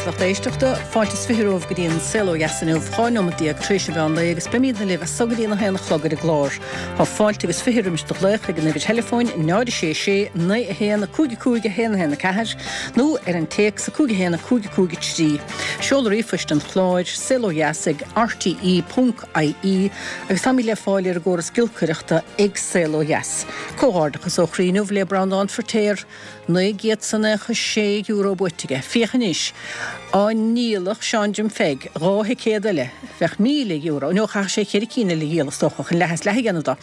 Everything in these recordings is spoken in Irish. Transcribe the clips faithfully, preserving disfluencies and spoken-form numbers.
is lucht éisteachta, fáilte is fiche romhaibh go dtí an Saol Ó Dheas inniu, dhá neomat déag tar éis an mheán lae agus beimidne libh as so go dtí a haon a chlog ar an gclár. Tá fáilte agus fiche roimis do ghlaoch ag an uimhir theileafóin náid a sé sé naoi a haon a cúig a cúig a haon a haon a ceathair nó ar an téacs a cúig a haon a cúig a cúig a trí. Seoladh ríomhphoist an chláir saol ó dheas ag R T E ponc I E agus táimid le fáil ar an gcóras giolcaireachta ag Saol Ó Dheas. Comhghairdeachas ó chroí inniu le Breandán Feirtéar, naoi gcéad is nócha sé euro buaite aige. Féach anois, dá ndíolfadh Seán Jim Pheig dhá thicéad eile, bheadh míle euro, nó chaithfeadh sé ceithre cinn eile a dhíol is dócha chun leath is leath a dhéanamh dó.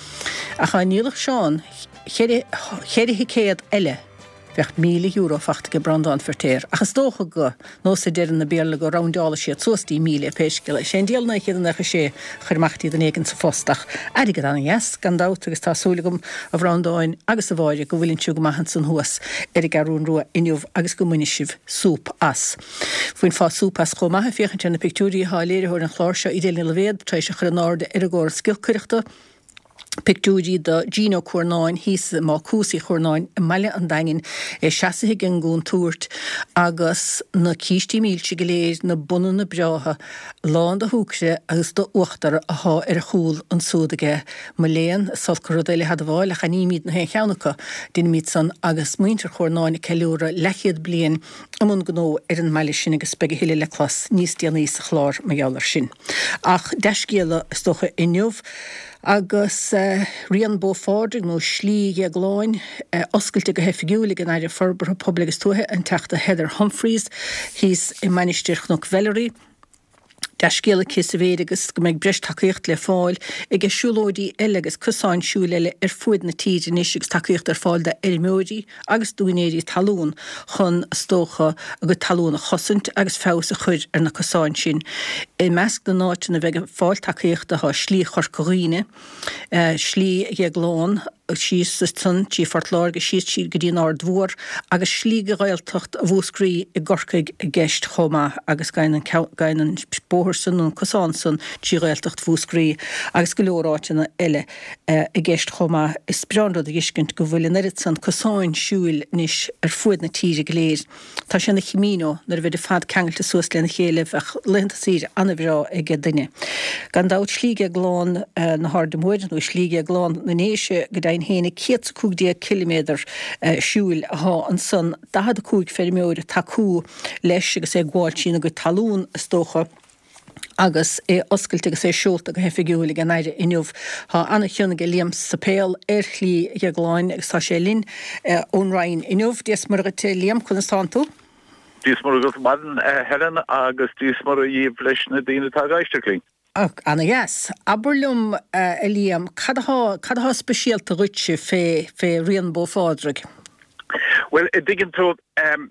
Ach dá ndíolfadh Seán ceithre thicéad eile, bheadh míle euro faighte ag Breandán Feirtéar. Ach is dócha go nós a deireann na Béarla go roundáladh siad suas dtí míle pé scéal é. Sé an diall naoi chéad nócha sé chuir amach dtí duine éigin sa phost ach airgead an-dheas gan dabht agus tá súil agam a Bhreandáin agus a Mháire go bhfuileann sibh go maith ansan thuas ar an gCeathrú Rua inniu agus go mbainfidh sibh súp as. Bhainfeá súp as chomh maith féachaint ar na pictiúirí atá léiritheoir an chláir seo Edel Ní Loibhéad tar éis a chur in airde ar an gcóras giolcaireachta. Pictiúirí do Gino Cuarnáin thíos i mBácús Uí Chuarnáin i mBaile an Daingin é seasaithe ag an gcontúirt agus na cístí milse go léir na bunanna breátha lán de shúcra agus d'uachtar atá ar a chúl ansúd aige mo léan is olc an rud é le hadmháil ach aithnímid na haon cheann acu déanaimid san agus muintir Chuarnáin ag ceiliúradh leathchéad bliain i mbun gnó ar an mbaile sin agus beidh a thuilleadh le clos níos déanaí sa chlár mar gheall air sin. Ach dea-scéala is dócha inniu agus uh, Rian Bó Phádraig nó Slí Dhéagláin uh, oscailte go hoifigiúil ag an Aire Forbartha Pobail agus Tuaithe an Teachta Heather Humphreys thíos i Mainistir Chnoc Mheilearaí. Dea-scéala sa mhéid agus go mbeidh breis tacaíocht le fáil ag siúlóidí eile agus cosáin siúil eile ar fuaid na tíre anois agus tacaíocht ar fáil d'fheirmeoirí agus d'úinéirí talún chun is dócha a gcuid talún a chosaint agus feabhas a chur ar na cosáin sin. I measc na n-áiteanna a bheidh ag fáil tacaíochta tá Slí Chorca Dhuibhne, uh, Slí Dhéagláin síos san trí Phort Láirge síos sí go dtí an Aird Mhór agus slí go Ghaeltacht Mhúscraí i gCorcaigh i gceist chomh maith agus gabhann an bóthar san an cosán san trí Ghaeltacht Mhúscraí agus go leor áiteanna eile uh, i gceist chomh maith is breá an rud a fheiscint go bhfuil an oiread san cosáin siúil anois ar fuaid na tíre go léir. Tá sé ina Camino nuair a bheidh fad ceangailte suas lena chéile bheadh laethanta saoire an-bhreá ag duine. Gan dabht Slí Dhéagláin uh, na hAirde Móire nó Slí Dhéagláin na nDéise go deimhin féin céad cúig déag ciliméadar uh, siúil atá ansan daichead a cúig feirmeoir tacú leis agus é ag gabháil trína gcuid talún is dócha agus é oscailte agus é seolta go hoifigiúil ag an Aire inniu. Tá an-chion ag Liam Sapéal ar Shlí Dhéagláin agus tá sé linn uh, ón Roinn inniu Dia is Muire dhuit Liam conas tánn tú? Dia is Muire dhuit maidin Helen agus Dia is Muire dhaoibh leis na daoine atá ag éisteacht linn. Ana-dheas. Abair liom uh, Liam, cad atá speisialta dhuitse fé fé Rian Bó Phádraig? Well i dtuigeann tú um,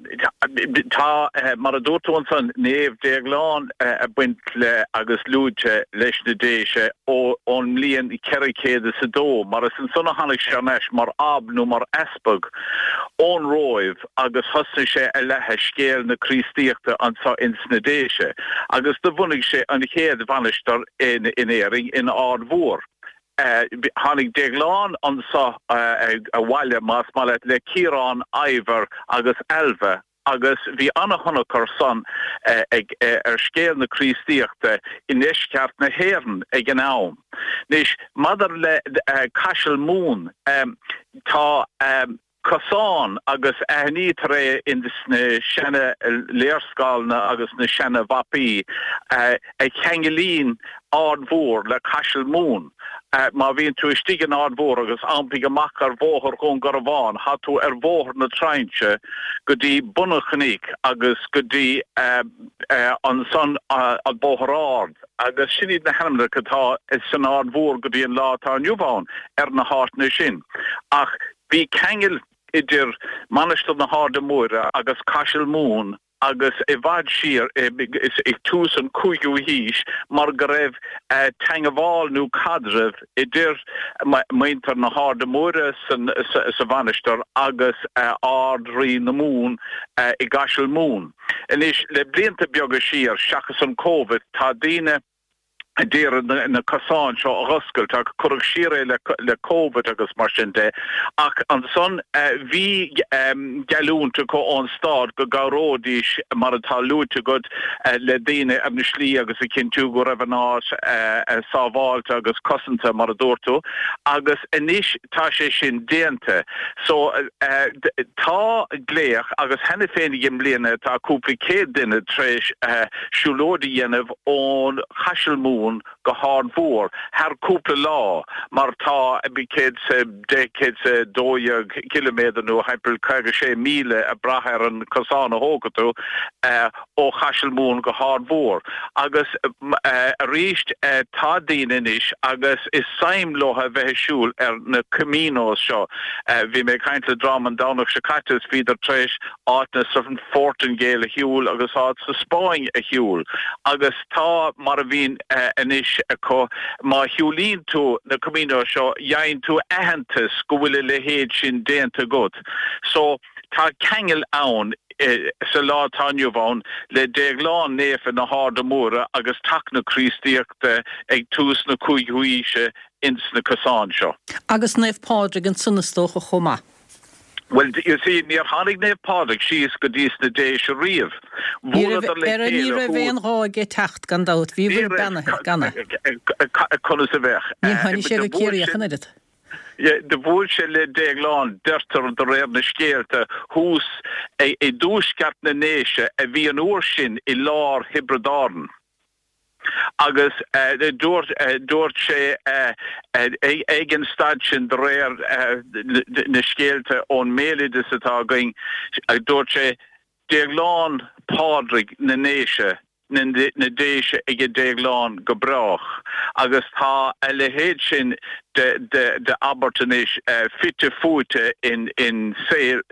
tá uh, mar a dúirt tú ansan Naomh Déaglán uh, a baint le agus luaite leis na Déise ón mbliain ceithre chéad is a dó, mar is ansan a tháinig sé leis mar ab nó mar easpag ón Róimh agus thosaigh sé a leathadh scéal na Críostaíochta anseo ins na Déise, agus do bhunaigh sé an chéad mhainistir in, in Éirinn in Ard Mhór. Uh, tháinig Déaglán anseo uh, abhaile más maith le Ciarán, Ivar agus Ailbhe agus bhí an-thionchar san uh, ag uh, ar scéal na Críostaíochta i ndeisceart na hÉireann ag an am. Anois maidir le uh, Caiseal Mumhan um, tá um, cosán agus aithnítear é in na seana léarscáileanna agus na seana mhapaí uh, a cheanglaíonn Ard Mhór le Caiseal Mumhan. Uh, má bhíonn tú istigh in Ard Mhór agus iompaigh amach ar Bhóthar Dhún Garbhán, tá tú ar Bhóthar na Trinse go dtí bun an chnoic agus go dtí uh, uh, ansan uh, an Bóthar Ard. agus sin iad na hainmneacha atá san Ard Mhór go dtí an lá atá inniu ann ar na háiteanna sin. Ach bhí ceangal idir Mainistir na hAirde Móire agus Caiseal Mumhan agus i bhfad siar ag tús an cúigiú haois mar go raibh uh, teagmháil nó caidreamh idir muintir na hAirde Móire san, sa, sa mhainistir agus uh, Ard-Rí na Mumhan uh, i gCaiseal Mumhan. Anois le blianta beaga siar seachas an COVID tá daoine d'iarraidh na cosáin seo a dh'oscailt ach cuireadh siar é le Covid agus mar sin de. Ach ansan bhí geallúint acu ón stát go gcabhróidís, mar atá luaite agat, le daoine ar na slí agus a chinntiú go raibh an áit sábháilte agus cosanta, mar a dúirt tú. Agus anois tá sé sin déanta. So tá glaoch agus cheana féin i mbliana tá cúpla céad duine tar éis siúlóid a dhéanamh ón Chaiseal Mumhan go hArd Mhór thar cúpla lá mar tá céad 's a deich, céad 's a dó dhéag ciliméadar nó thimpeall caoga sé míle ag brath ar an cosán a thógfaidh tú ó Chaiseal Mumhan go hArd Mhór. Agus arís tá daoine anois agus is suim leo a bheith ag siúl ar na Caminos seo. Bhí mé ag caint le dream an Domhnach seo caite is bhíodar tar éis áiteanna sa Phortaingéil a shiúl agus áit sa Spáinn a shiúl agus tá mar a bhíonn anois acu, má shiúlaíonn tú na Caminos seo gheibheann tú aitheantas go bhfuil a leithéid sin déanta agat. So tá ceangal ann sa lá atá inniu ann le Déaglán Naofa na hArda Móire agus teacht na Críostaíochta ag tús na cúigiú haoise ins na cosáin seo. Agus Naomh Pádraig ansan is dócha chomh maith. Bhuel, you see, níor tháinig Naomh Pádraig síos go dtí sna Déise riamh. Bhuaileadar le chéile. Ní raibh aon ghá aige teacht, gan dabht. Bhíobhair beannaithe, gan é. Conas a bheadh? Ní tháinig sé go Ciarraí ach an oiread. Do bhuail sé le Déaglán, deirtear de réir na scéalta, thuas i dtuaisceart na nDéise a bhí an uair sin i lár Thiobraid Árann. Agus dúirt dúirt sé ag an staid sin de réir na scéalta ón mbéaloideas atá againn, dúirt sé, Déaglán Pádraig na nDéise, na Déise ag Déaglán go brách. Agus tá a leithéid sin de de de abairt anois fite fuaite in in saol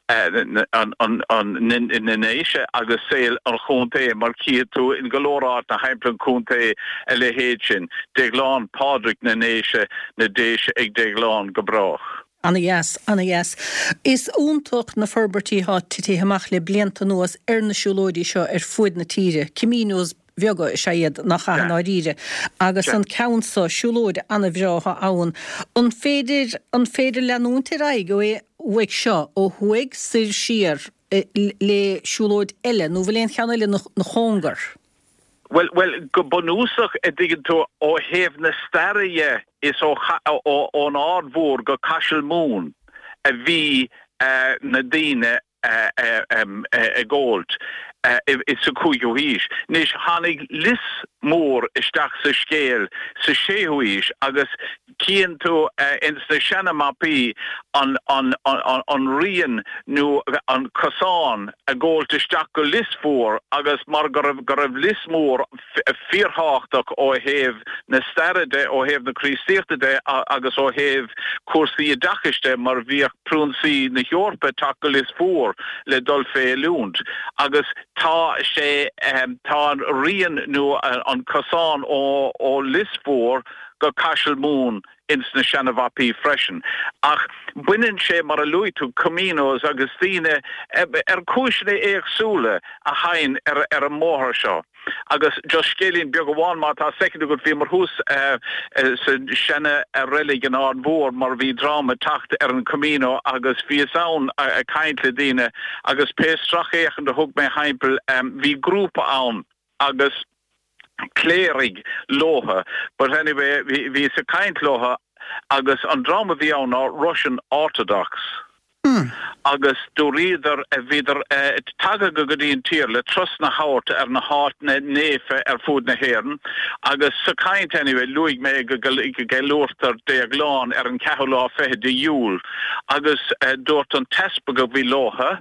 an an an na nDéise agus saol an chontae mar chífidh tú in go leor áiteanna thimpeall an chontae a leithéid sin, Déaglán Pádraig na nDéise, na Déise ag Déaglán go brách. Ana-dheas, ana-dheas. Is iontach na forbairtí atá titithe amach le blianta anuas ar na siúlóidí seo ar fuaid na tíre. Caminos bheaga is ea iad, nach ea, i ndáiríre. Agus an ceann seo, siúlóid ana-bhreá atá ann. An féidir, an féidir leanúint ar aghaidh ó uaidh seo, ó thuaidh, soir, siar, le siúlóid eile, nó bhfuil aon cheann eile ina chóngar? Bhuel, bhuel, go bunúsach, a dtuigeann tú, ó thaobh na staire dhe, is ó, ón Aird Mhór go Caiseal Mumhan a bhí na daoine ag gabháilt sa cúigiú haois. Anois, tháinig Lios Mór isteach sa scéal sa séú haois agus Cíonn tú ins na seana-mapaí an an rian nó an cosán ag gabháilt isteach go Lios Mhór agus mar go raibh go raibh Lios Mór fíorthábhachtach ó thaobh na staire de, ó thaobh na Críostaíochta de agus ó thaobh cúrsaí oideachais de mar bhíodh priúnsaí na hEorpa ag teacht go Lios Mhór le dul fé oiliúint agus tá sé tá an rian nó an cosán ó ó Lios Mhór go Caiseal Mumhan ins na seana-mhapaí freisin. Ach baineann sé, mar a luaigh tú, Caminos agus daoine ar chúiseanna éagsúla a thagann ar ar an mbóthar seo. Agus just scéilín beag amháin má tá soicind agat, bhíomar thuas sa seana-reilig in Aird Mhór mar bhí dream ag teacht ar an Camino agus bhíos ann ag caint le daoine agus pé sracfhéachaint a thug mé thimpeall bhí grúpa ann agus cléirigh leotha but anyway bhíos ag caint leotha agus an dream a bhí ann ná Russian Orthodox agus dúraíodar bhíodar tagtha go dtí an tír le turasanna a thabhairt ar na háiteanna naofa ar fud na hÉireann agus sa chaint anyway luaigh mé go gceiliúrtar Déaglán ar an ceathrú lá fichead de Iúil agus dúirt an t-easpag a bhí leotha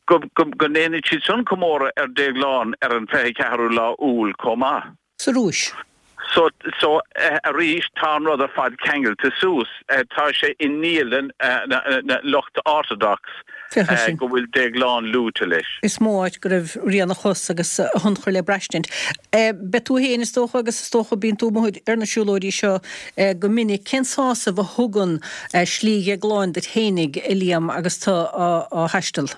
go ndéanann siad san comóradh ar Déaglán ar an fiche ceathrú lá Iúil chomh maith. Sa Rúis. So, so arís, tá an rud ar fad ceangailte suas. Tá sé i ndialann na lucht Orthodox go bhfuil Déaglán luaite leis. Is mó áit go raibh rian a chos agus a thionchar le braistint. Beidh tú féin, is dócha, agus is dócha bíonn tú amuigh ar na siúlóidí seo go minic. Cén sásamh a thugann Slí Dhéagláin duit fhéinig, a Liam, agus tú á thaisteal?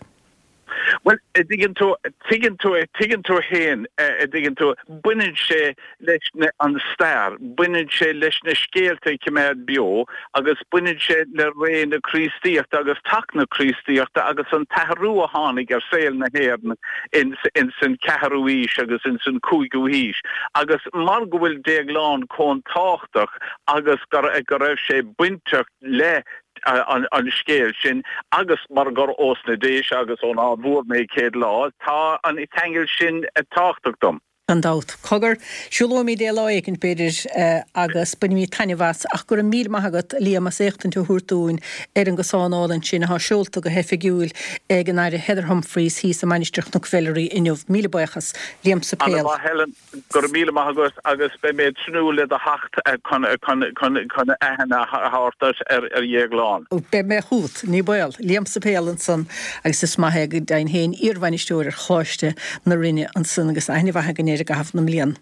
Well, tuigeann tú tuigeann tú tuigeann tú féin tuigeann tú baineann sé leis na an stair, baineann sé leis na scéalta a choimeád beo agus baineann sé le ré na Críostaíochta agus teacht na Críostaíochta agus an t-athrú a tháinig ar saol na hÉireann in in san ceathrú haois agus in san cúigiú haois. Agus mar go bhfuil Déaglán chomh tábhachtach agus go go raibh sé bainteach le an, an scéal sin agus mar gur ós na Déise agus ón Aird Mhór mé céad lá, tá an ceangal sin tábhachtach dom. Gan dabht. Cogar, siúlóimid é lá éicint b'fhéidir agus bainfimid taitneamh as ach go raibh míle maith agat Liam as éachtaint a thabhairt dúinn ar an gcosán álainn sin atá seolta go hoifigiúil ag an Aire Heather Humphreys thíos i Mainistir Chnoc Mheilearaí inniu. Míle buíochas Liam Suipéil. Ana Helen go raibh míle maith agat agus beidh mé tnúth le do theacht chun chun aithne a thabhairt ar ar Dhéaglán. Beidh mé chugat ní baol Liam Suipéil ansan agus is maith é go deimhin féin iarbhainisteoir ar Choláiste na Rinne ansan agus aithne mhaith againn air i gcaitheamh na mblian.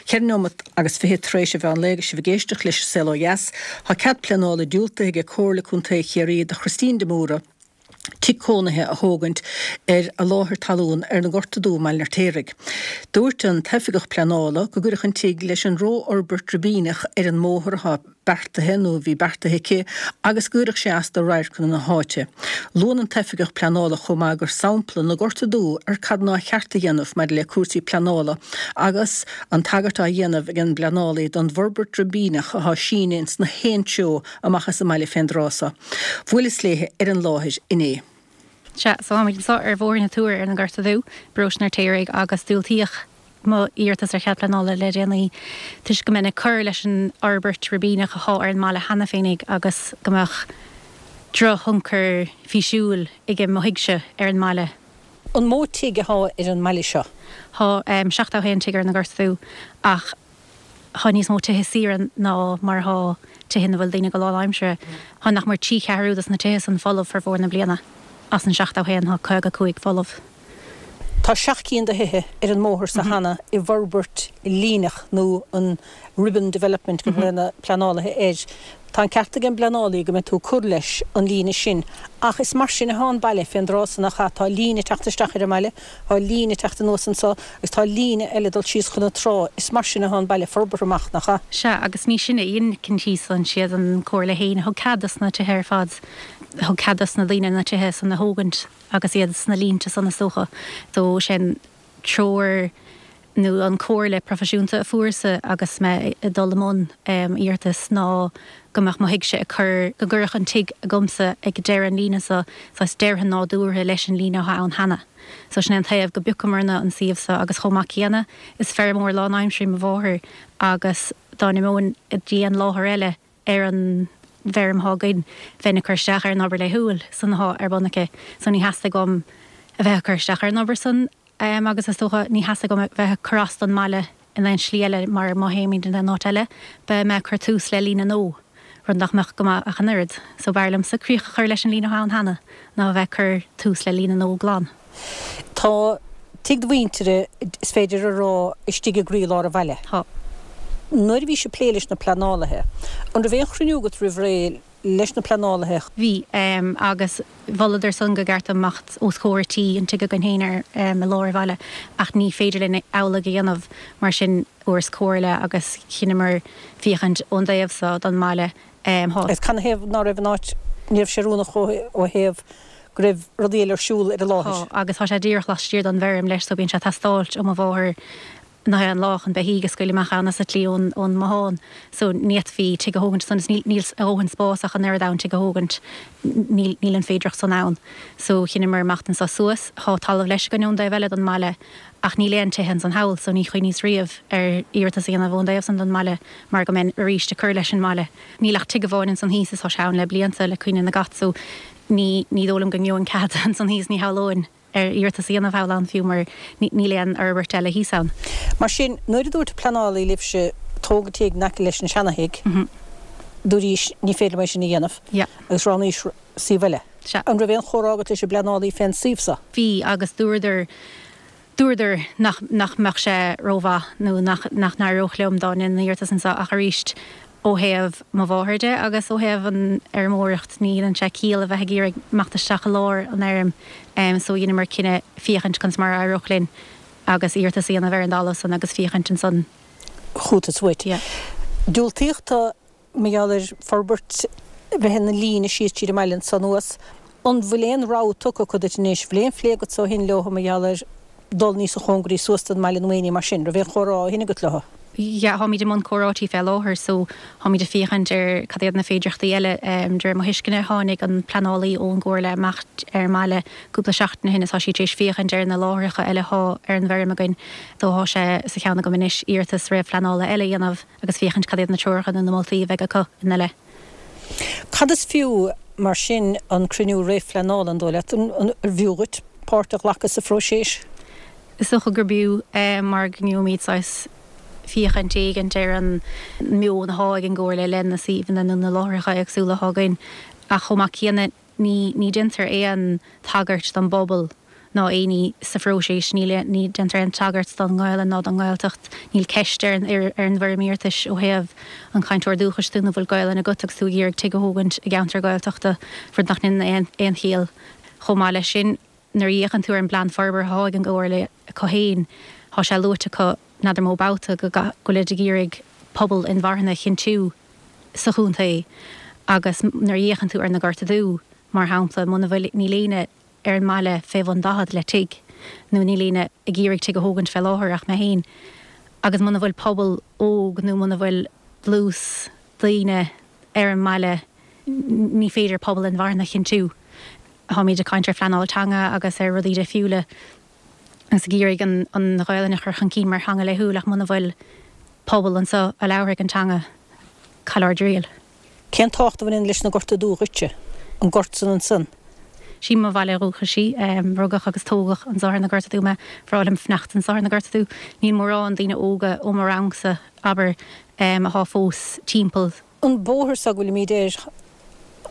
Ceithre nóiméad agus fiche tar éis an mheán lae agus sibh ag éisteacht leis an Saol Ó Dheas, tá cead pleanála diúltaithe ag Comhairle Contae Chiarraí do Christine de Móra, tigh cónaithe a thógaint ar a láthair talún ar na Gorta Dubha i mBaile an Fheirtéaraigh. Dúirt an t-oifigeach pleanála go gcuirfeadh an tigh leis an rófhorbairt ribíneach ar an mbóthar atá beartaithe nó a bhí beartaithe aici agus go gcuirfeadh sé as do radharcanna na háite. Luann an t-oifigeach pleanála chomh maith gur sampla na Gorta Dubha ar cad nár cheart a dhéanamh maidir le cúrsaí pleanála agus an tagairt á dhéanamh ag an bpleanálaí don bhforbairt ribíneach atá sínithe ins na haon treo amach as an mbaile fén dtráth seo. Bhuaileas léithe ar an láthair inné. Sea, so táimid anseo ar Bhóthar na Tuair ar na Gorta Dubha, bparóiste an Fheirtéaraigh agus diúltaíodh mo iarratas ar chead pleanála le déanaí toisc go mbeinn ag cur leis an fhorbairt ribíneach atá ar an mbaile cheana féinig agus go mbeadh drochthionchar físiúil ag mo thighse ar an mbaile. An mó tigh atá ar an mbaile seo? Tá seachtó a haon tigh ar na Gorta Dubha ach tá níos mó tithe saoire ná mar atá tithe ina bhfuil daoine go lánaimseartha. Tá nach mór trí cheathrú dos na tithe san folamh formhór na bliana. As an seachtó a haon tá caoga cúig folamh. Tá seacht gcinn de thithe ar an mbóthar seo cheana i bhforbairt líneach nó an ribbon development go bhfuil na pleanálaithe air. Tá an ceart ag an bpleanálaí go mbeidh tú ag cur leis an líne sin ach is mar sin atá an baile fén dtráth so nach ea? Tá líne ag teacht isteach ar an mbaile, tá líne ag teacht anuas anseo agus tá líne eile ag dul síos chun na trá. Is mar sin atá an baile forbartha amach, nach ea? Sea, agus ní sinne a dhein na cinntí san, siad an Comhairle fhéin a thug cead dos na tithe ar fad. Thug cead dos na daoine na tithe san a thógaint agus iad sna línte san is dócha. So sin treoir nó an comhairle proifisiúnta a fuaireas-sa agus mé ag dul i mbun iarratais ná go mbeadh mo thighse ag cur, go gcuirfeadh an tigh agamsa ag deireadh an líne so saghas deireadh nádúrtha leis an líne atá ann cheana. So sin é an taobh go bpiocamarna an suíomh so agus chomh maith céanna is feirmeoir lánaimseartha í mo mháthair agus dá n-imeoinn dtí an láthair eile ar an bhfeirm atá againn, bheinn ag cur isteach ar an obair laethúil san atá ar bun aici. So ní theastaigh uaim a bheith ag cur isteach ar an obair san agus is dócha ní theastaigh uaim a bheith ag cur as don mbaile in aon slí eile mar má théimid in aon áit eile beidh mé ag cur tús le líne nua, rud nach mbeadh go maith ach an oiread. So b'fhearr liomsa críoch a chur leis an líne atá ann cheana ná a bheith ag cur tús le líne nua glan. Tá tigh do mhuintire, is féidir a rá, istigh i gcroílár an bhaile. Tá. Nuair a bhís ag plé leis na pleanálaithe, an raibh aon chruinniú agat roimh ré leis na pleanálaithe? Bhí, agus mholadar san gur cheart dom imeacht os comhair tí an tigh againn féin ar i lár an bhaile ach ní féidir linn amhlaidh a dhéanamh, mar sin fuaireas comhairle agus chinneamar féachaint ón dtaobh so don mbaile. Tá. Agus canathaobh ná raibh an áit, ní raibh sé oiriúnach ó thaobh go raibh rudaí eile ar siúl ar an láthair? Tá, agus tá sé díreach laistiar don bhfeirm leis so bíonn sé ag teastáilt ó mo mháthair nach aon lá chun beithígh a scaoileadh amach ann as an tslí ón ón mbothán so ní fhéadfaí tigh a thógaint ansan is níl níl a dhóthain spás ach an oiread ann tigh a thógaint níl níl an féidireacht san ann so chinneamar imeacht anso suas thá talamh leis againn ón dtaobh eile don mbaile ach níl aon tithe ansan thall so ní chuimhníos riamh ar iarratas a dhéanamh ón dtaobh san don mbaile mar go mbeinn arís ag cur leis an mbaile níl ach tigh amháin ansan thíos is thá sé ann le blianta le cuimhne na gcat so ní ní dóigh liom go ngeobhainn cead ansan thíos ní shamhlóinn ar iarratas a dhéanamh thall ann fiú mar níl aon fhorbairt eile thíos ann. Mar sin, nuair a dúirt an pleanálaí libhse tóg an tigh in aice leis an seanathigh, dúraís ní féidir liom é sin a dhéanamh agus roghnaís suíomh eile. An raibh aon chomhrá agat leis an bpleanálaí fén suíomh so? Bhí agus dúradar dúradar nach nach mbeadh sé rómhaith nó nach nach n-éireodh liom dá ndéanfainn iarratas anseo ach arís Ó thaobh mo mháthair de agus ó thaobh an fheirmeoireacht ní dhéanann sé ciall a bheith ag iarraidh imeacht isteach i lár an fheirm so dheineamar cinneadh féachaint conas mar a éireodh linn agus iarratas a dhéanamh ar an dtalamh san agus féachaint ansan. Chuatas uait. Yeah. Diúltaíodh do mar gheall ar forbairt bheith ina líne síos tríd an mbaile anso anuas. An bhfuil aon rabhadh tugtha acu duit anois? Bhfuil aon phlé agat ó shin leo mar gheall ar dul níosa chóngaraí suas don mbaile nó aon ní mar sin? Raibh aon chomhrá ó shin agat leo? Yeah, táimid i mbun comhráití fé láthair so táimid ag féachaint ar cad iad na féidearthachtaí eile. De réir mo thuisceana tháinig an pleanálaí ón gComhairle amach ar an mbaile cúpla seachtain ó shin is tá sí tar éis féachaint ar na láithreacha eile athá ar an bhfeirm againn so thá sé sa cheann agam anois iarratas réamhphleanála eile a dhéanamh agus féachaint cad iad na treoracha nó na moltaí a bheidh acu ina leith. Cad is fiú mar sin an cruinniú réamhphleanála, an dóigh leat? An bhfiú dhuit páirt a ghlacadh sa phróiseas? Is dócha gurb fhiú mar go ngeobhaimid saghas féachaint éigint ar an meon athá ag an gComhairle le na suíomhanna nó na láithreacha éagsúla athá againn ach chomh maith céanna ní ní déantar aon tagairt don bpobal ná éinní sa phróiseas, níl ní déantar aon tagairt don nGaelainn ná don nGaeltacht, níl ceist ar an ar an bhfoirm iarratais ó thaobh an cainteoir dúchais tú nó bhfuil Gaelainn agat agus tú ag iarraidh tigh a thógaint i gceantar Gaeltachta, rud nach ndéanann aon aon chiall. Chomh maith leis sin, nuair a fhéachann tú ar an bplean forbartha athá ag an gComhairle acu féin, thá sé luaite acu n'fheadar mó babhta go bhfuilid ag iarraidh pobal inmharthana a chinntiú sa chontae agus nuair a fhéachann tú ar na Gorta Dubha, mar shampla, muna bhfuil, níl éinne ar an mbaile fé bhun daichead le tigh, nó níl éinne ag iarraidh tigh a thógaint fé láthair ach mé féin, agus muna bhfuil pobal óg nó muna bhfuil dlús daoine ar an mbaile ní féidir pobal inmharthana a chinntiú. Táimid ag caint ar phleanáil teanga agus ar rudaí difriúla agus ag iarraidh an an Ghaelainn a chur chun cinn mar theanga laethúil ach muna bhfuil pobal anseo a labharfaidh an teanga, caill ár dtriail. Cén tábhacht a bhaineann leis na Gorta Dubha dhuitse? An gort san ansan? Sí mo bhaile dhúchais í. Rugadh agus tógadh anso ar na Gorta Dubha mé. Bhreá liom fanacht anso ar na Gorta Dubha. Níl mórán daoine óga ó mo rangsa, abair, athá fós timpeall. An bóthar so go bhfuilimid air,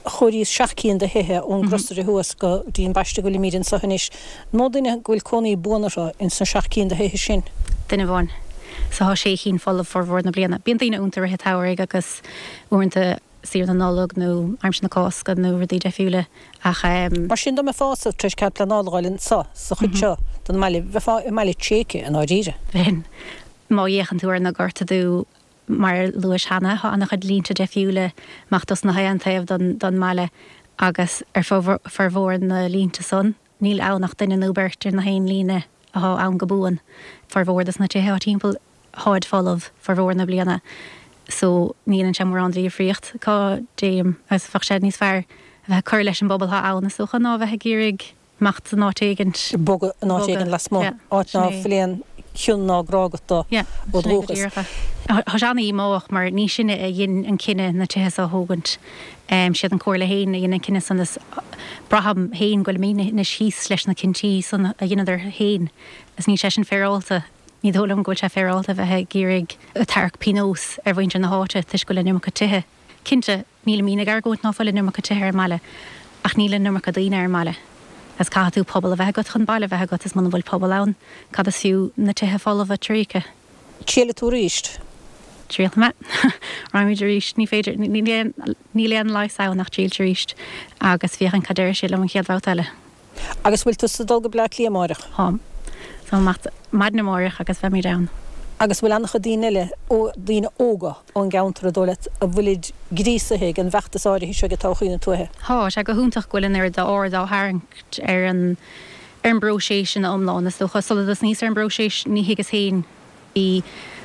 chomhairíos seacht cinn de thithe ón gcrosaire thuas go dtí an bpaiste go bhfuilimid anso anois. An mó duine go bhfuil cónaí buan orthu ins na seacht cinn de thithe sin? Duine amháin. So thá sé chinn folamh formhór na bliana. Bíonn daoine iontu i rith an tsamhraidh agus uaireanta saoire na Nollag nó aimsir na Cásca nó rudaí deifriúla ach. Mar sin dá mbeifeása tar éis cead pleanála a fháil anso sa chuid seo den mbaile, bheifeá i mbaile tréigthe i ndáiríre. Bheinn. Má fhéachann tú ar na Gorta Dubha, mar a luais cheana, thá an-chuid línte deifriúla amach dos na haon taobh den mbaile agus ar formhór na línte san, níl ann ach duine nó beirt ar na haon líne athá ann go buan. Formhór dos na tithe athá timpeall, tháid folamh formhór na bliana so ní dhéanann sé mórán de dhifríocht cá dtéim agus bheadh sé níos fearr a bheith ag cur leis an bpobal athá ann is dócha ná a bheith ag iarraidh imeacht in áit éigint. Bogadh in áit éigin lasmuigh, áit ná fuil aon chion ná grá agat dó ó dhúchas. Tá sé an-dhíomách mar ní sinne a dhein an cinneadh na tithe seo a thógaint. Siad an Comhairle féin a dhein an cinneadh san is braithim féin go bhfuilimid anois thíos leis na cinntí san a dheineadar féin is níl sé sin féaráilte. Ní dóigh liom go bhfuil sé féaráilte a bheith ag iarraidh ag tarrac pionós ar mhuintir na háite toisc go bhfuil an iomarca tithe. Cinnte, nílimid ag argóint ná fuil an iomarca tithe ar an mbaile, ach níl an iomarca daoine ar an mbaile. Agus caithfidh tú pobal a bheith agat chun baile a bheith agat, is muna bhfuil pobal ann, cad is fiú na tithe folmha tréigthe? Triailfidh tú arís? Triailfidh mé. Raghaimid arís. Ní féidir, níl aon leigheas ann ach triailt arís agus féachaint cad déarfaidh siad liom an chéad bhabhta eile. Agus bhfuil tusa ag dul go Bleá Cliath amáireach? Táim. Táim amach maidin amáireach agus beimid ann. Agus bhfuil an-chuid daoine eile, daoine óga ón gceantar, an dóigh leat, a bhfuilid gríosaithe ag an bhfeachtas áirithe seo ag todhchaí na tuaithe? Tá sé go hiontach go bhfuil an oiread d'aird á tharraingt ar an ar an bpróiseas ina iomlán, is dócha. Sula dtosnaíos ar an bpróiseas, ní thuigeas féin. Bhí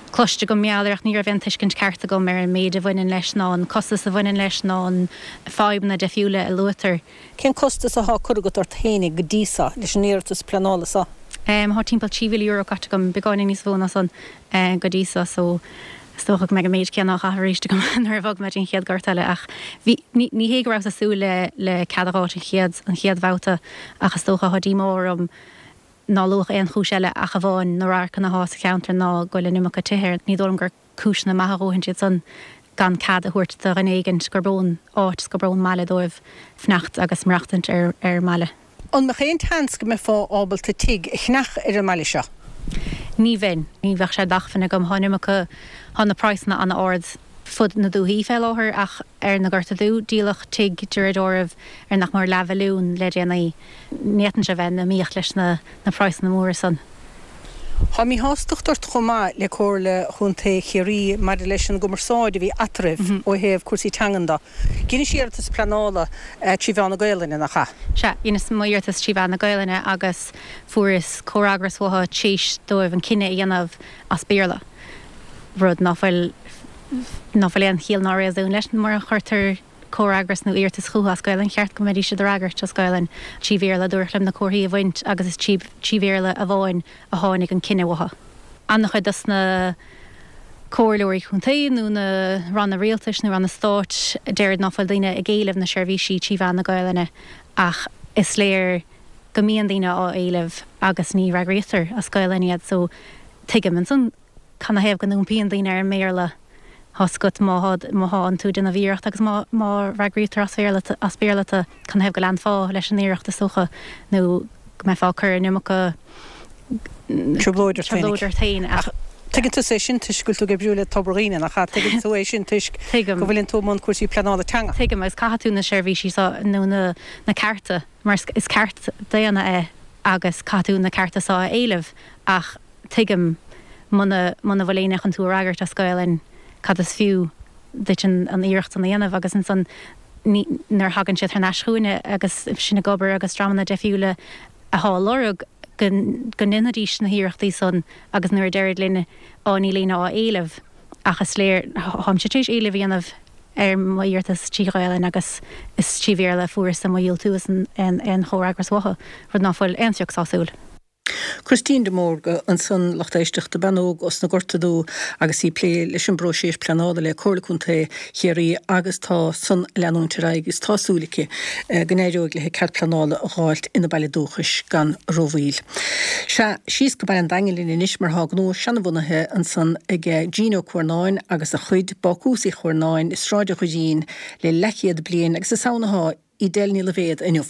cloiste agam mar gheall air ach ní raibh aon tuiscint ceart agam ar an méid a bhaineann leis ná an costas a bhaineann leis ná an fadhbanna deifriúla a luaitear. Cén costas athá curtha agat ort fhéinig go dtí so leis an iarratas pleanála so? Thá timpeall trí mhíle euro caite agam, beagáinín níos mó ná san go dtí so, so is dócha go mbeidh an méid céanna á chaitheamh arís agam nuair a bhogfaidh mé dtí an chéad ghort eile ach bhí, ní, ní hé go rabhas ag súil le, le cead a dh'fháilt an chéad, an chéad bhabhta ach is dócha thá díomá orm ná luadh aon chúis eile ach amháin na radharcanna athá sa cheantar ná go bhfuil an iomarca tithe air. Ní dóigh liom gur cúiseanna maithe a dhóthaint iad san gan cead a thabhairt do dhuine éigint gurb ón áit is gurb ón mbaile dóibh fanacht agus maireachtaint ar ar an mbaile. An mbeadh aon tseans go mbeifeá ábalta tigh a cheannach ar an mbaile seo? Ní bheinn. Ní bheadh sé d'acmhainn agam. Thá an iomarca, thá na praghsanna an-ard. fud na dúthaí fé láthair ach ar na Gorta Dubha díoladh tigh de réir dealraimh ar nach mór leathmhilliún le déanaí. Ní fhéadann sé bheith in iomaíocht leis na na praghsanna móra san. Tá míshástacht ort chomh maith le Comhairle Chontae Chiarraí maidir leis an gcumarsáid a bhí eatarthu ó thaobh cúrsaí teangan de. Dheinis iarratas pleanála trí mheán na Gaelainne, nach ea? Sea, dheineas mo iarratas trí mheán na Gaelainne agus fuaireas comhfhreagras uathu théis dóibh an cinneadh a dhéanamh as Béarla. Rud ná fuil ná fuil aon chiall ná réasún leis mar a chuirtear comhfhreagras nó iarratas chucu as Gaelainn cheart go mbeidís ag freagairt as Gaelainn. Trí Bhéarla dúradh liom na comharthaí a bhaint agus is trí trí Bhéarla amháin a tháinig an cinneadh uathu. An-chuid dos na comhairleoirí contae nó na ranna rialtais nó ranna stáit a deir ná fuil daoine ag éileamh na seirbhísí trí mheán na Gaelainne ach is léir go mbíonn daoine á éileamh agus ní fhreagraítear as Gaelainn iad so tuigim ansan canathaobh go n-iompaíonn daoine ar an mBéarla. Tá a fhios agat má má thánn tú ag déanamh iarracht agus má má fhreagraítear as Béarla as Béarla tú canathaobh go leanfá leis an iarracht is dócha nó go mbeifeá ag cur an iomarca Trioblóid ort trioblóid ort féin ach Tuigeann tú é sin toisc go bhfuil tú ag oibriú le Tobar Dhuibhne nach ea? Tuigeann tú é sin toisc Tuigim. go bhfuileann tú i mbun cúrsaí pleanála teanga. Tuigim agus caithfidh tú na seirbhísí seo nó na na cearta mar is ceart daonna é agus caithfidh tú na cearta seo a éileamh ach tuigim muna muna bhfuil éinne chun tú a fhreagairt as Gaelainn cad is fiú duit an an iarracht san a dhéanamh agus ansan ní nuair a thagann siad thar n-ais chugainne agus sinn ag obair agus dreamanna difriúla atá ag lorg go go ndéanfaidís na hiarrachtaí san agus nuair a deirid linn á níl éinne á éileamh ach is léir táimse tar éis éileamh a dhéanamh ar mo iarratas trí Ghaelainn agus is trí Bhéarla a fuaireas mo dhiúltú is an an chomhfhreagras uathu, rud ná fuil aon phioc sásúil. Christine de Mórdha ansan lucht éisteachta bean óg os na Gorta Dubha agus í ag plé leis an bpróiseas pleanála le Comhairle Contae Chiarraí agus tá san ag leanúint ar aghaidh agus tá súil aici go n-éireoidh léi cead pleanála a dh'fháilt ina baile dúchais gan rómhoill. Sea, síos go Baile an Daingin linn anois mar thá gnó seanbhunaithe ansan ag Gene Ó Cuarnáin agus a chuid Bácús Uí Chuarnáin i Sráid an Dhoirín le leathchéad bliain agus is ann atá Edel Ní Loibhéad inniu.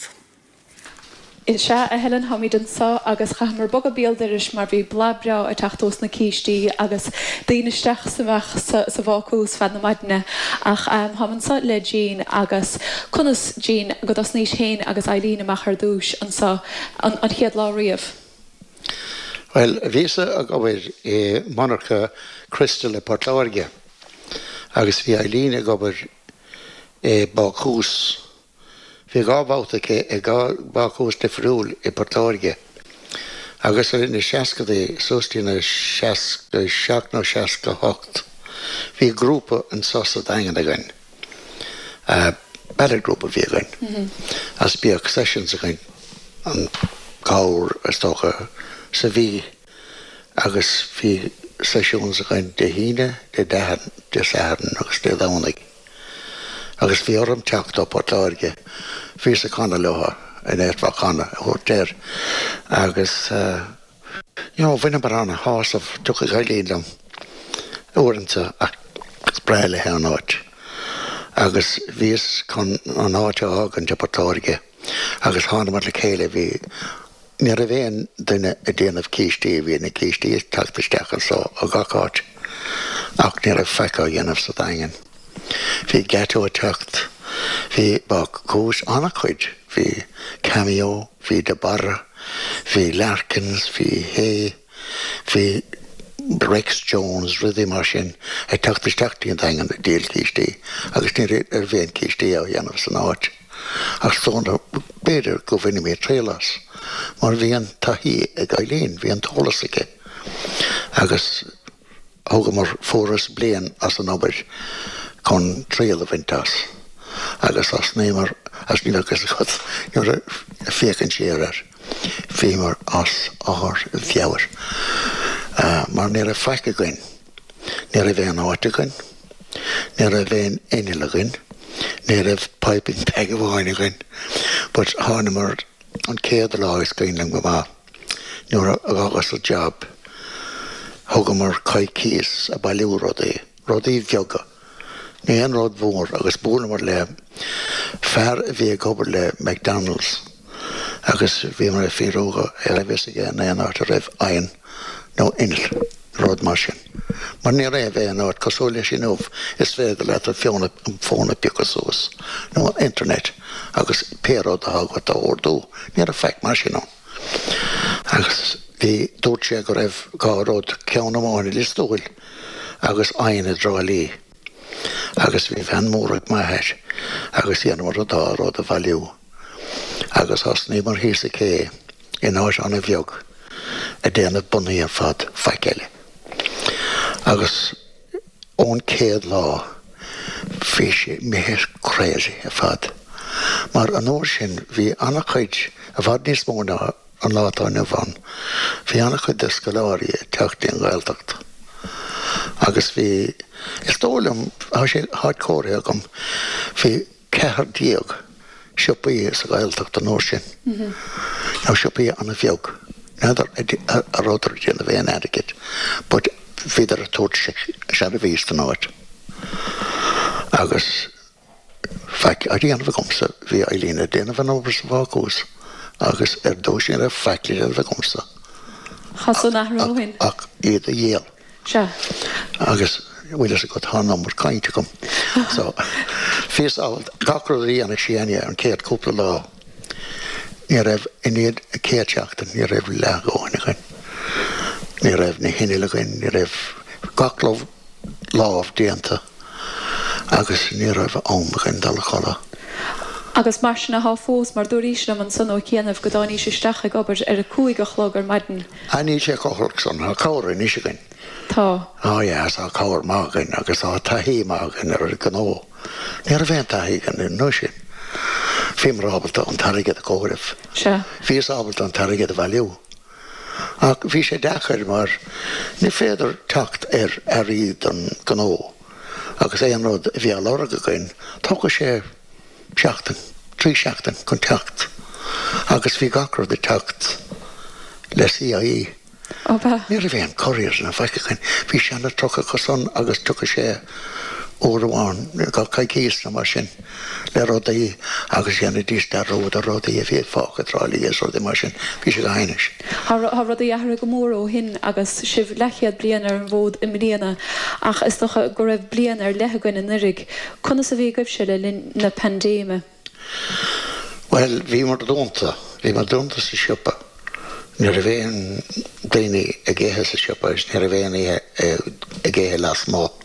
Is ea, a Helen, táimid anseo agus chaitheamar bogadh béal dorais mar bhí boladh breá ag teacht ós na cístí agus daoine isteach is amach sa, sa bhácús feadh na maidine. Ach um, táim anseo le Jean agus conas Jean go dtosnaís féin agus Eileen amach ar dtús anseo an, an chéad lá riamh. Well, bhíos ag obair i monarcha Crystal i Port Láirge agus bhí Eileen ag obair i bácús. Bhí dhá bhabhta aici i dhá bhácús difriúil i Port Láirge. Agus ar na seascadaí suas dtí na seasca seacht nó seasca hocht. Bhí grúpa anseo sa Daingean againn. Uh, ballad grúpa bhí againn. Mm -hmm. As bhíodh sessions againn an cabhair is dócha sa mhí agus bhí sessions againn Dé hAoine, Dé Dé Sathairn agus Dé Domhnaigh. Agus bhí orm teacht ó Port Láirge, bhíos ag canadh leo in éirfá canadh a thabhairt agus uh, you know, bhaineamar an-shásamh tiocfaidh Eileen liom uaireanta ach is breá léi an áit. Agus bhíos chun an áit a fhágaint i Port Láirge agus thánamar le chéile bhí ní raibh aon duine ag déanamh cístí bhí na cístí ag teacht isteach anseo ó gach áit ach ní raibh faic á dhéanamh sa Daingean. Bhí Gateau ag teacht, bhí bácús an-chuid, bhí Cameo, bhí De Barra, bhí Larkins, bhí Hay, bhí Rex Jones, rudaí mar sin ag teacht isteach dtí an Daingean ag díol cístí agus ní raibh aon cístí á dhéanamh san áit. Ach dóna b'fhéidir go bhaineamar triail as, mar bhí an taithí ag Eileen, bhí an t-eolas aici. Agus thugamar fuaireas bliain as an obair chun triail a bhaint as. Agus as némar as ní agus chut nuair a féachann siar air. Bhíomar as ár mheabhair. Uh, mar ní raibh faic againn. Ní raibh aon áit againn, ní raibh aon inneall againn, ní raibh piping bag amháin againn, but thánamar an chéad lá is cuimhin liom go maith. Nuair a fhágas an job thugamar coicís ag bailiú rudaí, rudaí beaga. Ní aon rud mhór agus buaileamar le fear a bhí ag obair le McDonald's agus bhíomar ag fiafraí ar bhfios aige in aon áit a raibh oigheann nó inneall rud mar sin. Mar ní raibh aon áit cosúil leis inniu, is féidir leat an fón a phiocadh suas, nó an internet, agus pé rud atá agat a ordú. Ní raibh faic mar sin ann. Agus bhí, dúirt sé go raibh dhá rud, ceann amháin i Lios Tuathail agus oigheann i dTrá Lí. Agus bhí veain mór ag m'athair agus dheineamar an dá rud a bhailiú. Agus thosnaíomar thíos sa cé in áit an-bheag ag déanamh bonnaí ar fad, faic eile. Agus ón chéad lá bhí sé imithe crazy ar fad. Mar an uair sin bhí an-chuid, i bhfad níos mó ná an lá atá inniu ann, bhí an-chuid de scoláirí ag teacht dtí an Ghaeltacht. Agus bhí, is dóigh liom, tá sé, táid comhairthe agam, bhí ceathair déag siopaí sa Ghaeltacht an uair sin. Now siopaí an-bheag. N'fheadar a rabhadar ag déanamh aon airgid but bhíodar ag tabhairt seirbhís don áit. Agus faic á dhéanamh agamsa, bhí Eileen ag déanamh an obair sa bhácús agus ar dtús ní raibh faic le déanamh agamsa. Tá san athrú ó shin. Ach iad a dhíol. Sea. Agus bhfuil fhios agat, tá an iomarca cainte agam. So, bhíos ábalta gach rud a dhéanamh sí ania an chéad cúpla lá. Ní raibh, i ndiaidh an chéad seachtain, ní raibh leath a dhóthain againn. Ní raibh na hinnill againn, ní raibh gach lámh déanta agus ní raibh am againn dul a chodladh. Agus mar sin athá fós, mar dúraís liom ansan ó chianaibh go dtáinís isteach ag obair ar a cúig a chlog ar maidin. Ah níl sé chomh holc san, tá cabhair anois againn. Tá. Ah yeah, tá cabhair maith againn agus tá taithí maith againn ar an gnó. Ní raibh aon taithí againn an uair sin. Bhíomar ábalta an t-airgead a chomhaireamh. Sea. Bhíos ábalta an t-airgead a bhailiú. Ach bhí sé deacair mar ní féidir teacht ar earraí don gnó agus aon rud a bhí á lorg againn, tógfaidh sé seachtain, trí seachtain chun teacht agus bhí gach rud ag teacht le CIE. Ab ea? Ní raibh aon couriers ná faic againn. Bhí seana truck acu san agus tiocfadh sé uair amháin gach coicís nó mar sin le rudaí agus dhéanfaidís dearúd ar rudaí a bhí fágtha i dTrá Lí is rudaí mar sin. Bhí sé go hainnis. Tá rudaí athraithe go mór ó shin agus sibh leathchéad bliain ar an bhfód i mbliana ach is dócha go raibh bliain ar leith againn anuraidh. Conas a bhí agaibhse le linn na paindéime? Bhuel, bhíomar dúnta. Bhíomar dúnta sa siopa. Ní raibh aon daoine ag ithe sa siopa agus ní raibh aon ithe ag ithe lasmuigh.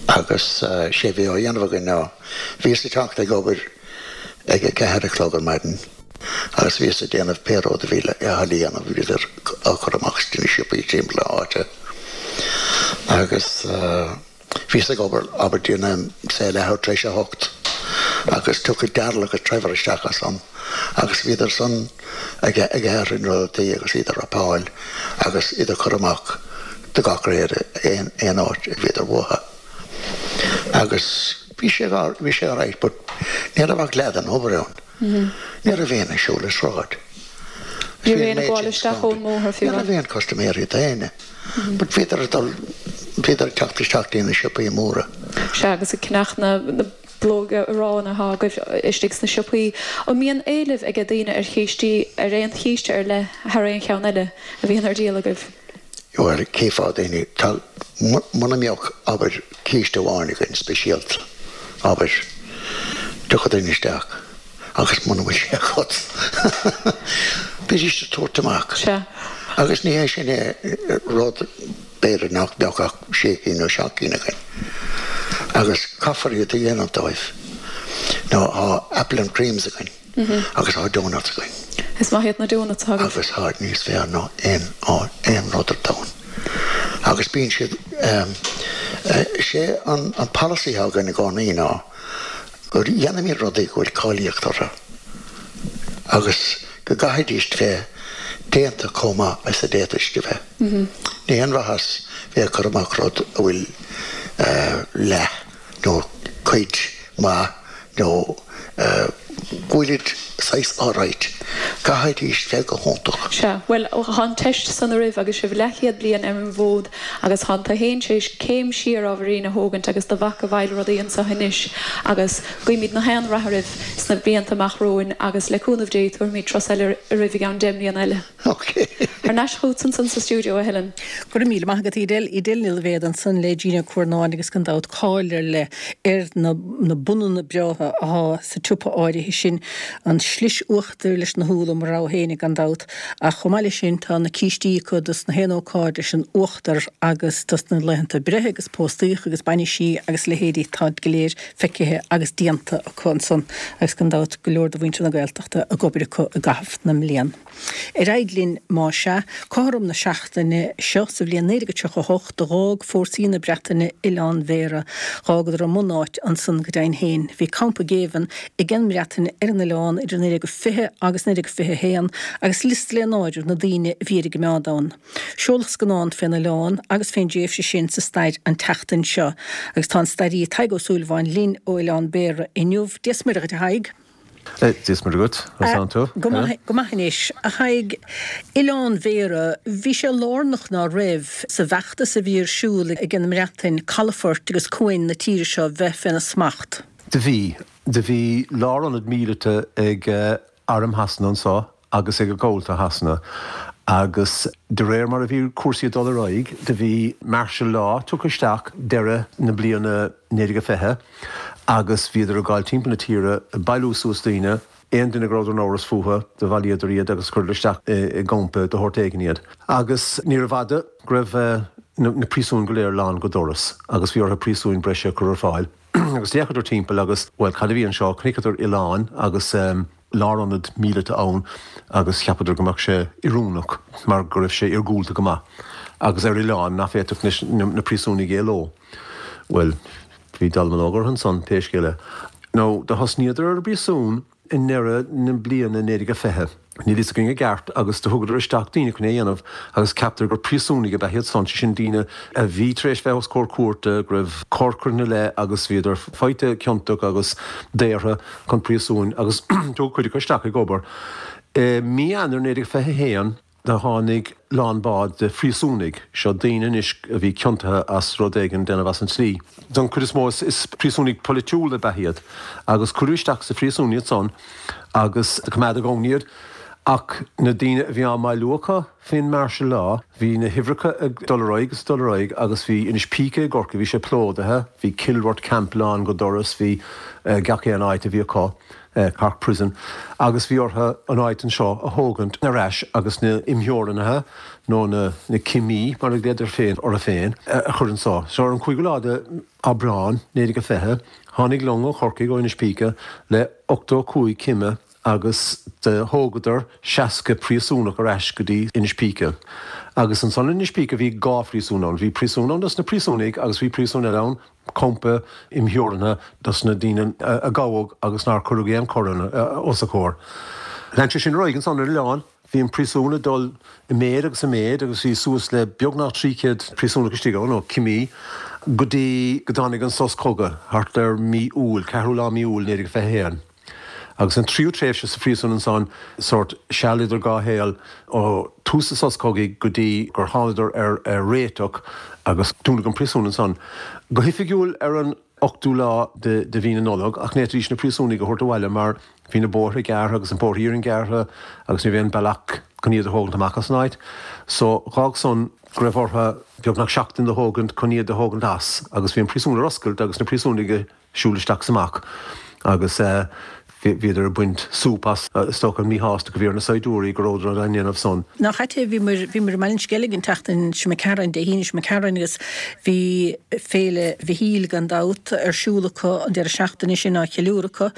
Agus sé bhí á dhéanamh againn ná, bhíos ag teacht ag obair ag a ceathair a chlog ar maidin agus bhíos ag déanamh pé rud a bhí le dhéanamh, bhíodar á chur amach sna siopaí timpeall na háite. Agus bhíos ag obair, abair déanaim, say leathuair tar éis a hocht agus tiocfaidh Darrell agus Trevor isteach ansan agus bhíodar san ag ag athrú na rudaí agus iad a wrapáil agus iad a chur amach do gach réir aon aon áit a bhíodar uathu. Agus bhí sé bhí sé alright but ní raibh ach leath den obair ann. Ní raibh aon ag siúl an sráid. Ní raibh aon ag gabháil isteach ón mbóthar fiú. Ní raibh aon custaiméirí d'aoinne. But bhíodar ag dul, bhíodar ag teacht isteach dtí na siopaí móra. Sea, agus ag ceannach na bpileoga aráin atá agaibh istigh sna siopaí. An mbíonn éileamh ag daoine ar chístí, ar aon chíste ar leith thar aon cheann eile a bhíonn ar díol agaibh? Bhuel, cífeá daoine, tá, muna mbeadh, abair, císte amháin againn speisialta, abair, tiocfaidh daoine isteach agus muna bhfuil sé agat, bídís ag tabhairt amach. Sea. Agus ní hé sin é rud, b'fhéidir nach mbeadh ach sé cinn nó seacht gcinn againn. Agus caithfear iad a dhéanamh dóibh. Nó tá apple and creams againn agus tá donuts againn. Is maith iad na donuts atá agaibh. Agus táid níos fearr ná aon aon rud ar domhan. Agus bíonn siad, sé an polasaí atá againn i gcónaí ná go dhéanaimid rudaí go bhfuil cáilíocht orthu agus go gcaithfidís bheith déanta chomh maith is a d'fhéadfadh siad a bheith. Ní haon mhaitheas bheith ag cur amach rud a bhfuil leath nó cuid maith nó go bhfuilid saghas alright. Caithfidís bheith go hiontach. Sea, bhuel, tá an teist san oraibh agus sibh leathchéad bliain ar an bhfód agus tá tú fhéin tar éis céim siar ábhairín a thógaint agus do mhac ag bailiú rudaí anseo anois agus guímid na haon rath oraibh sna blianta amach romhainn agus le cúnamh Dé tabharfaimid turas eile oraibh i gceann deich mbliana eile. Ok. Thar n-ais chugat ansan sa stiúideo, a Helen. Go raibh míle maith agat, Edel. Edel Ní Loibhéad ansan le Gene Ó Cuarnáin agus gan dabht cáil ar leith ar na na bunanna breátha atá sa tsiopa áirithe sin, an slis uachtair leis na húlla, mo rogha fhéinig gan dabht, ach chomh maith leis sin tá na cístí acu dos na haon ócáid leis an uachtar agus dos na laethanta breithe agus póstaíoch agus bainisí agus leithéidí, táid go léir feicthe agus déanta acu ansan agus gan dabht go leor de mhuintir na Gaeltachta ag obair acu i gcaitheamh na mblian. Ar aghaidh linn má sea, cothrom na seachtaine seo sa bhliain naoi déag tríocha a hocht d'fhág fórsaí na Breataine Oileán Bhéarra. Dh'fhágadar a mbunáit ansan go deimhin féin. Bhí campa géibhinn ag an mBreatain ar an oileán idir naoi déag fiche agus naoi déag fiche a haon agus liosta le n-áireamh na daoine a bhí ar a gcoimeád ann. Seoladh scannán fén oileán agus fén dtréimhse sin sa stair an tseachtain seo agus tá an staraí Tadhg Ó Súilleabháin linn ó Oileán Béarra inniu. Dia 's Muire dhuit a Thaidhg. Dia 's Muire dhuit, conas tánn tú? Go maith, go maith anois. A Thaidhg, Oileán Bhéarra, bhí sé lárnach ná raibh sa bhfeachtas a bhí ar siúl ag an mBreatain calafoirt agus cuain na tíre seo bheith féna smacht. Do bhí. Do bhí lárionad míleata ag Arm Shasana anso agus ag Cabhlaigh Shasana agus de réir mar a bhí cúrsaí ag dul ar aghaidh do bhí martial law tugtha isteach deireadh na bliana naoi déag a fiche agus bhíodar ag gabháil timpeall na tíre ag bailiú suas daoine, aon duine go rabhadar in amhras fúthu do bhailíodar iad agus chuireadar isteach i gcampa de shórt éigin iad. Agus níorbh fhada go raibh na príosúin go léir lán go doras agus bhí orthu príosúin breise a chur ar fáil. Agus d'fhéachadar timpeall agus, bhuel, cad a bhí anseo? Chonaiceadar oileán agus lárionad míleata ann agus cheapadar go mbeadh sé oiriúnach mar go raibh sé iargúlta go maith agus ar oileán nach bhféadfadh na príosúnaigh éaló. Bhuel, bhí dallamullóg orthu ansan, pé scéal é. Now, do thosnaíodar ar an bpríosún i ndeireadh na bliana naoi déag a fiche. Níl fhios againn i gceart agus do thugadar isteach daoine chun é a dhéanamh agus ceaptar gur príosúnaigh ab ea iad san, sé sin daoine a bhí tar éis bheith os comhair cúirte, go raibh coir curtha ina leith agus bhíodar faighte ciontach agus daortha chun príosúin agus tugadh cuid acu isteach ag obair. I mí Eanáir naoi déag fiche a haon, do tháinig lán bád de phríosúnaigh, seo daoine anois a bhí ciontaithe as rud éigin déanamh as an tslí. Don chuid is mó is príosúnaigh polaitiúla ab ea iad agus cuireadh isteach sa phríosún iad san agus do coimeádadh ann iad. Ach na daoine a bhí á mbailiú acu faoin martial law, bhí na huimhreacha ag dul ar aghaidh agus ag dul ar aghaidh agus bhí Inis Píce i gCorcaigh, bhí sé plódaithe, bhí Kilworth Camp lán go doras, bhí gach aon áit a bhí acu. Cork Prison, agus bhí orthu an áit anseo a thógaint ar ais agus na imtheorannaithe, nó na na cimí mar a ghlaodar féin orthu féin, a chur anseo. So ar an cúigiú lá de Aibreán naoi déag a fiche, tháinig long ó Chorcaigh, ó Inis Píce, le ochtó a cúig cime agus do thógadar seasca príosúnach ar ais go dtí Inis Píce. Agus ansan in Inis Píce bhí dhá phríosún ann. Bhí príosún ann dos na príosúnaigh agus bhí príosún eile ann campa imtheorannaithe dos na daoine a gabhadh agus nár cuireadh aon choir os a gcomhair. Lean sé sin ar aghaidh ansan ar an oileán. Bhí an príosún ag dul i méid agus i méid agus bhí suas le beagnach trí chéad príosúnach istigh ann, nó cimí, go dtí go dtáinig an sos cogaidh thart ar mí Iúil, ceathrú lá mí Iúil naoi déag fiche a haon. Agus an tríú tréimhse sa phríosún ansan, sórt seal idir dhá shaol, ó tús an sos cogaidh go dtí gur thánadar ar réiteach agus dúnadh an príosún ansan. Go hoifigiúil ar an ochtú lá de mhí na Nollag, ach ní fhéadfaidís na príosúnaigh a thabhairt abhaile mar bhí na bóithre gearrtha agus an bóthar iarainn gearrtha agus ní raibh aon bealach chun iad a thógaint amach as an áit. So dh'fhág san go raibh orthu beagnach seachtain do thógaint chun iad a thógaint as agus bhí an príosún ar oscailt agus na príosúnaigh ag siúl isteach 's amach agus bhíodar ag baint súp as, is dócha, an míshásta go bhí ar na saighdiúirí go rabhadar á ndéanamh san. Nach ait é, bhíomar, bhíomar i mBaile an Sceilg an tseachtain seo imigh tharainn, Dé hAoine seo imigh tharainn agus bhí Féile Mhichíl gan dabht ar siúl acu an deireadh seachtaine sin á cheiliúradh acu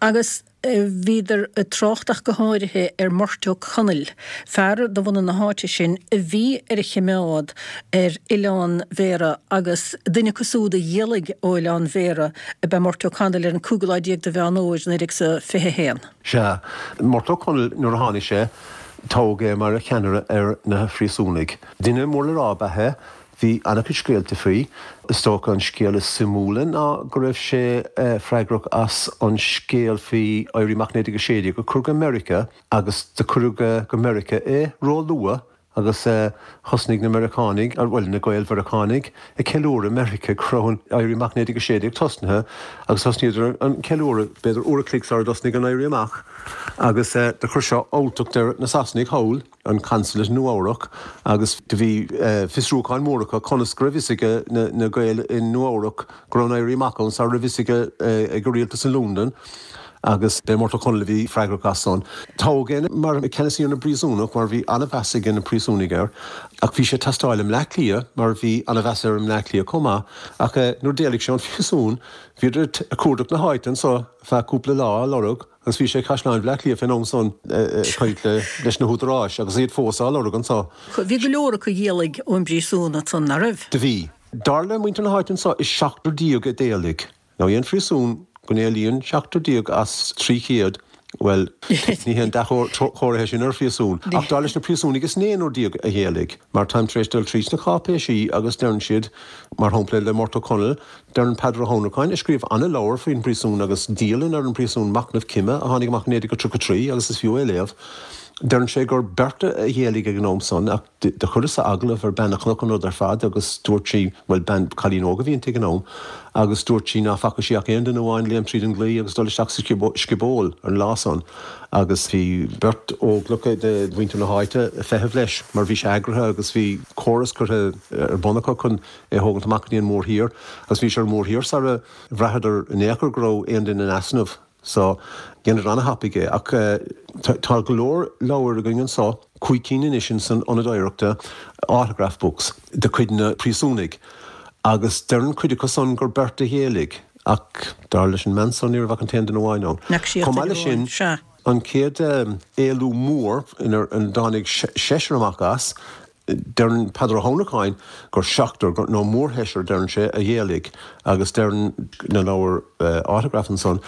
agus bhíodar ag trácht ach go háirithe ar Murt Ó Conaill, fear de bhunadh na háite sin a bhí ar a chimeád ar Oileán Bhéarra agus duine acu súd a d'éalaigh ó Oileán Bhéarra ab ea Murt Ó Conaill ar an cúigiú lá déag de Mheán Fhómhair naoi déag is a fiche a haon. Sea, Murt Ó Conaill nuair a tháinig sé, toghadh é mar cheannaire ar na phríosúnaigh. Duine mór le rá ab ea é. Bhí an-chuid scéalta faoi. Is dócha an scéal is suimiúla ná go raibh sé freagrach as an scéal faoi Éirí Amach naoi déag a sé déag a chur go Meiriceá agus do cuireadh go Meiriceá é ró-luath agus thosnaigh na Meiriceánaigh, bhuel na Gael-Mheiriceánaigh, ag ceiliúradh i Meiriceá go raibh an Éirí Amach naoi déag a sé déag tosnaithe agus thosnaíodar an ceiliúradh b'fhéidir uair a chloig sara dtosnaigh an Éirí Amach agus do chuir seo alltacht ar na Sasanaigh thall. an Consulate i Nua-Eabhrac agus do bhí fiosrúcháin mór acu conas go raibh fhios ag na Gaeil i Nua-Eabhrac go raibh an Éirí Amach ann sara raibh fhios ag ag an rialtas i Londain agus b'é Murtagh Ó Conaill a bhí freagrach as san. Toghadh é mar ceannasaí ar na bpríosúnach mar bhí an-mheas ag na príosúnaigh air ach bhí sé ag teastáil i mBleá Cliath mar bhí an-mheas air i mBleá Cliath chomh maith ach nuair d'éalaigh sé ón phríosún bhíodar ag cuardach na háite anso feadh cúpla lá á lorg Agus bhí sé i gCaisleán Bhaile Átha Cliath fén am san ag caint leis na húdaráis agus iad fós á lorg anso. Bhí go leor acu a d'éalaigh ón bpríosún ansan, ná raibh? Do bhí. Dar le muintir na háite anso is seachtar déag a d'éalaigh. Now aon phríosún go n-éalaíonn seachtar déag as trí chéad, bhuel, ní haon dea-chomhartha é sin ar phríosún. Ach dar leis na príosúnaigh is naonúr déag a d'éalaigh. Mar táim tar éis dul tríd na cáipéisí agus deireann siad, mar shampla le Murtagh Ó Conaill, Deireann Peadar Ó hAnnracháin, a scríobh ana-leabhar faoin bpríosún agus dialann ar an bpríosún, Machnamh Cime, a tháinig amach i naoi déag a tríocha trí agus is fiú é a léamh, deireann sé gur beirt a d'éalaigh ag an am san ach do chuireas-sa agallamh ar bean a chonac an rud ar fad agus dúirt sí, bhuel bean, cailín óg a bhí inti ag an am, agus dúirt sí ná faca sí ach aon duine amháin léim tríd an gclaí agus dul isteach sa sciból ar an lá san agus bhí beirt óglach de mhuintir na háite ag feitheamh leis mar bhí sé eagraithe agus bhí córas curtha ar bun acu chun é a thógaint amach go dtí an mórthír agus bhí sé ar an mórthír sara bhraitheadar in aon chor go raibh aon duine in easnamh so dheineadar ana-thapaidh é ach tá go leor leabhair againn anso, cúig cinn anois in san Ionad Oidhreachta, autograph books de chuid na príosúnaigh agus deireann cuid acu san gur beirt a d'éalaigh ach dar leis an mbean san ní raibh ach an t-aon duine amháin ann. Chomh maith leis sin, an chéad éalú mór inar dtáinig seisear amach as, Deireann Peadar Ó hAnnracháin gur seachtar, nó mórsheisear, deireann sé, a d'éalaigh agus deireann na leabhair autograph ansan,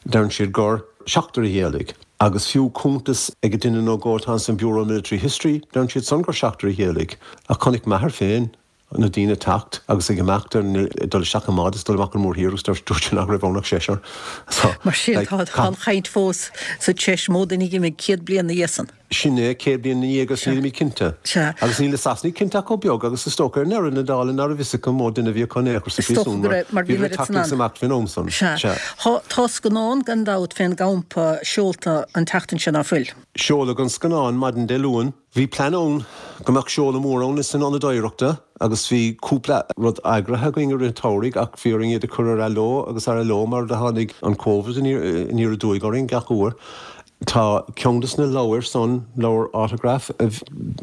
deireann siad gur seachtar a d'éalaigh. Agus fiú cuntas ag duine nó dhó atá san Bureau of Military History, deireann siad san gur seachtar a d'éalaigh. Ach chonaic m'athair féin na daoine ag teacht agus ag imeacht, ag dul isteach i mbád is dul amach an mórthír agus dúirt sé nach raibh ann ach seisear. So, Mar sin, tá an chaint fós sa tseis mó duine a d'imigh céad bliain ina dhiaidh san. Sin é, céad bliain ina dhiaidh agus nílimid cinnte. Sea. Agus níl na Sasanaigh cinnte ach chomh beag agus is dócha ar ndeireadh na dála ná raibh fhios acu an mó duine a bhí acu in aon chor sa Is dócha phríosún go mar raibh, mar bhí bhíodar an ag oiread teacht san agus ann. imeacht fén am san. Sea. Sea. Tá, tá scannán gan dabht fén gcampa seolta an tseachtain seo ná fuil? Seoladh an scannán maidin Dé Luain. Bhí plean ann go mbeadh seoladh mór ann san Ionad Oidhreachta agus bhí cúpla rud eagraithe againn i rith an tsamhraidh ach bhí orainn iad a chur ar athló agus ar athló mar do tháinig an Covid aniar aduaidh orainn gach uair. Tá ceann de na leabhair san, leabhar autograph,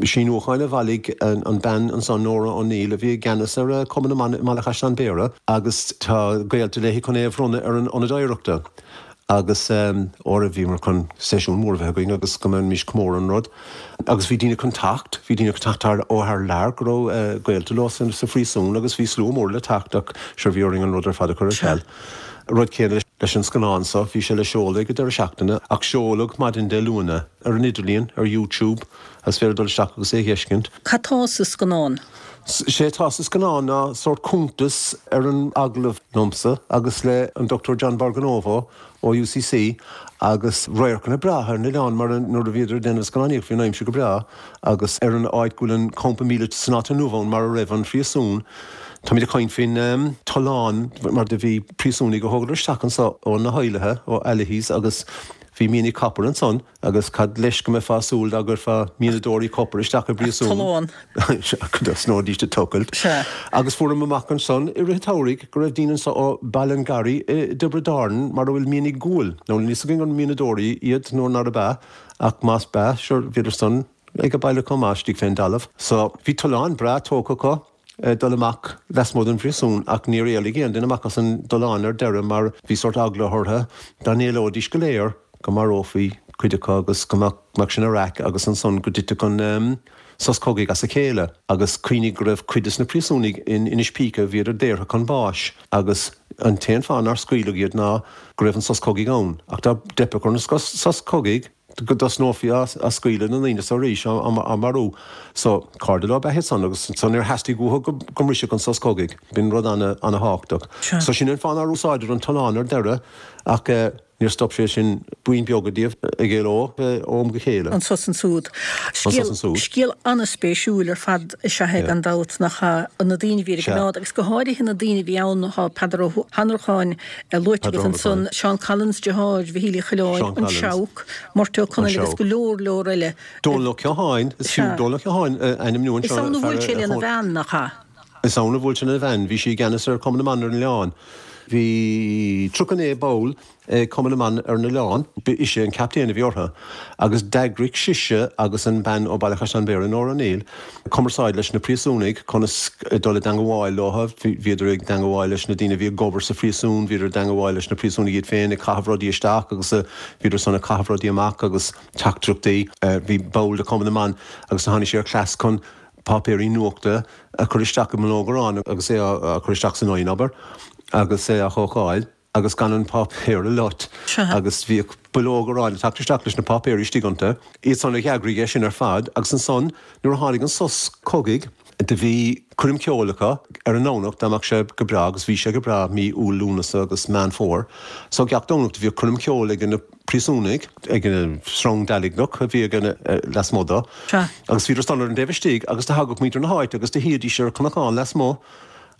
síniúcháin a bhailigh an bean ansan, Nora O'Neill, a bhí i gceannas ar Chumann na mBan i mBaile Chaisleáin Bhéarra agus tá gaolta léi chun é a bhronnadh ar an Ionad Oidhreachta agus óra bhíomar chun seisiún mór a bheith againn agus go mbeimis comóradh an rud agus bhí daoine chun teacht, bhí daoine chun teacht thar ó thar lear go raibh gaolta leo sa phríosún agus bhí slua mór le teacht ach sure bhí orainn an rud ar fad a chur ar ceal. Rud céanna leis an scannán seo, bhí sé le seoladh ag an deireadh seachtaine ach seoladh maidin Dé Luain é ar an idirlíon, ar YouTube, is féidir dul isteach agus é a dh'fheiscint. Cad tá sa scannán? Sé atá sa scannán ná sórt cuntas ar an agallamh liomsa agus le an Dochtúir John Borgonovo ó UCC agus radharcanna breátha ar an oileán mar nuair a bhíodar ag déanamh scannánaíocht bhí an aimsir go breá agus ar an áit go bhfuil an campa míleata san áit inniu ann mar a raibh an phríosún. Táimid ag caint faoin tollán mar do bhí príosúnaigh a thógadar isteach anso ó na hEilithe, ó Allihies agus bhí mianaigh copair ansan agus cad leis go mbeifeá ag súil dá gcuirfeá mianadóirí copair isteach i bpríosún? Tollán. Go dtosnóidís ag tochailt. Sea. Agus fuaireamar amach ansan i rith an tsamhraidh go raibh daoine anso ó Ballingarry i dTiobraid Árann mar a bhfuil mianaigh guail. Now níl fhios againn an mianadóirí iad nó nárab ea ach más b'ea, sure, bhíodar san ag an baile chomh maith istigh fén dtalamh. So bhí tollán breá tógtha acu. dul amach lasmuigh den phríosún ach níor éalaigh aon duine amach as an dtollán ar deireadh mar bhí sórt eagla orthu dá n-éalóidís go léir go marófaí cuid acu agus go mbeadh sin ina raic agus ansan go dtitfeadh an sos cogaidh as a chéile agus cuimhnigh go raibh cuid des na príosúnaigh in Inis Píce bhíodar daortha chun báis agus an t-aon fáth nár scaoileadh iad ná go raibh an sos cogaidh ann ach dá dteipfeadh ar an sos cogaidh go dtosnófaí á scaoileadh na ndaoine so arís, á marú. So, cairde leo ab ea iad san agus so níor theastaigh uathu go go mbrisfeadh an sos cogaidh. B'in rud ana-thábhachtach. So sin an fáth nár úsáideadar an tollán ar deireadh ach níor stop sé sin buíon beaga díobh ag éaló ó am go chéile. Anso is ansúd. Anso is ansúd. Scéal an-spéisiúil ar fad is ea é gan dabht, nach ea? Na daoine a bhí ar an gcoimeád agus go háirithe na daoine a bhí ann, tá Peadar Ó hAnnracháin luaite agat ansan, Seán Collins, deartháir Mhichíl Uí Choileáin, an Seabhac, Murty Ó Conaill agus go leor leor eile. Dónal Ó Catháin, is fiú Dónal Ó Catháin a ainmniú anseo. Is ann a bhuail sé lena bhean, nach ea? Is ann a bhuail sé lena bhean. Bhí sí i gceannas ar Chumann na mBan ar an oileán. Bhí tríocha naoi ball ag Cumann na mBan ar an oileán. Ba ise an captaen a bhí orthu agus d'eagraigh sise agus an bean ó Baile Chaisleáin Bhéarra, Nóra O'Neill, cumarsáid leis na príosúnaigh conas dul i dteangabháil leo. Bhíodar ag teangabháil leis na daoine a bhí ag obair sa phríosún, bhíodar i dteangabháil leis na príosúnaigh iad féin ag caitheamh rudaí isteach agus bhíodar san ag caitheamh rudaí amach agus teachtaireachtaí. Bhí ball de Chumann na mBan agus tháinig sé ar chleas chun páipéirí nuachta a chur isteach i mbileog aráin agus é á chur isteach san oigheann, abair, agus é á chócáil agus gan an páipéar a loit agus bhíodh bileog aráin ag teacht isteach leis na páipéirí istigh iontu. Iad san a d'eagraigh é sin ar fad agus ansan nuair a tháinig an sos cogaidh do bhí coirm ceoil acu ar an nDomhnach dá mbeadh sé go breá agus bhí sé go breá mí Iúil, Lúnasa agus Meán Fómhair so gach Domhnach do bhíodh coirm ceoil ag na príosúnaigh ag an srong dealgnach a bhí ag an lasmuigh dó agus bhíodar san ar an dtaobh istigh agus do thagadh muintir na háite agus do shuídís ar chnocán lasmuigh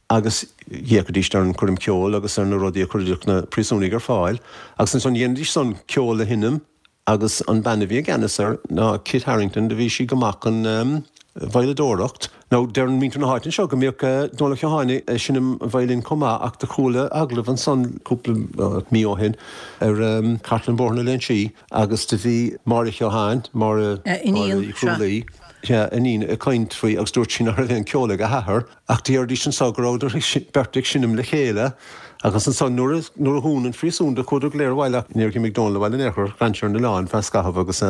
agus d'fhéachaidís ar an choirm ceoil agus ar na rudaí a chuireadh na príosúnaigh ar fáil agus ansan dhéanaidís san ceol a sheinm Agus an bean a bhí i gceannas air ná Kit Harrington, do bhí sí go maith chun veidhleadóireacht. Now deireann muintir na háite anseo go mbíodh Dónal Ó Catháin ag seinm an veidhlin chomh maith ach do chuala agallamh ansan cúpla mí ó shin ar chartlann Bhóthar na Léinsí agus do bhí Máire Keohane, Máire Uí Chrualaoi, sea, iníon, ag caint faoi agus dúirt sí nach raibh aon ceol ag a hathair ach deiridís anso go rabhadar beirt ag seinm le chéile Agus ansan nuair a nuair a dhún an phríosún do chuadar go léir abhaile ach níor dh'imigh Dónal abhaile in aon chor, d'fhan sé ar an oileán feadh scaithimh agus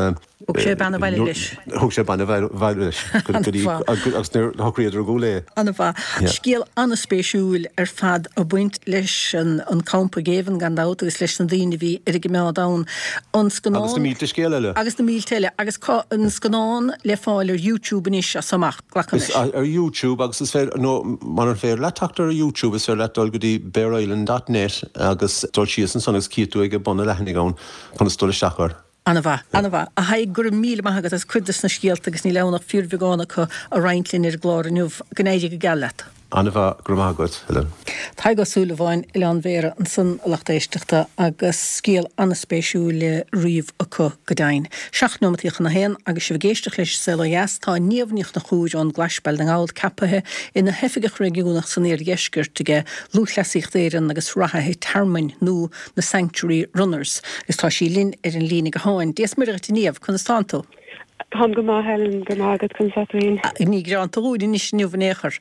Thug sé bean abhaile leis. Thug sé bean abhaile leis go dtí agus nuair a shocraíodar i gCúil Aodha. An-mhaith. Scéal an-spéisiúil ar fad ag baint leis an campa géibhinn gan dabht agus leis na daoine a bhí ar an gcoimeád ann. An scannán. Agus na mílte scéal eile. Agus na mílte eile. Agus tá an scannán le fáil ar YouTube anois as so amach. Glacaim leis. Ar YouTube agus is féidir, nó murar féidir leat teacht ar YouTube is féidir leat dul go dtí bareisland dot net agus dul síos ansan agus cífidh tú ag bun an leathanaigh ann conas dul isteach air. An-mhaith, an-mhaith. A Thaidhg, go raibh míle maith agat as cuid des na scéalta agus níl ann ach fíorbheagán acu a roinnt linn ar an gclár inniu. Go n-éirí go geal leat. An-mhaith, go raibh maith agat, Helen. Tadhg Ó Súilleabháin, Oileán Bhéarra ansan a lucht éisteachta agus scéal an-spéisiúil le ríomh acu go deimhin. Seacht neomataí chun a haon agus sibh ag éisteacht leis An Saol Ó Dheas, tá Niamh Ní Chonchúir ón gClais, Baile na nGall, ceapaithe ina hOifigeach Réigiúnach san Iardheisceart aige Lúthchleasaíocht Éireann agus Reathaithe Tearmainn nó na Sanctuary Runners agus tá sí linn ar an líne gutháin. Dia is Muire dhuit a Niamh, conas tánn tú? Táim go maith, Helen, go raibh maith agat, conas tá tú féin? Ní gearánta dhúinn anois inniu in aon chor.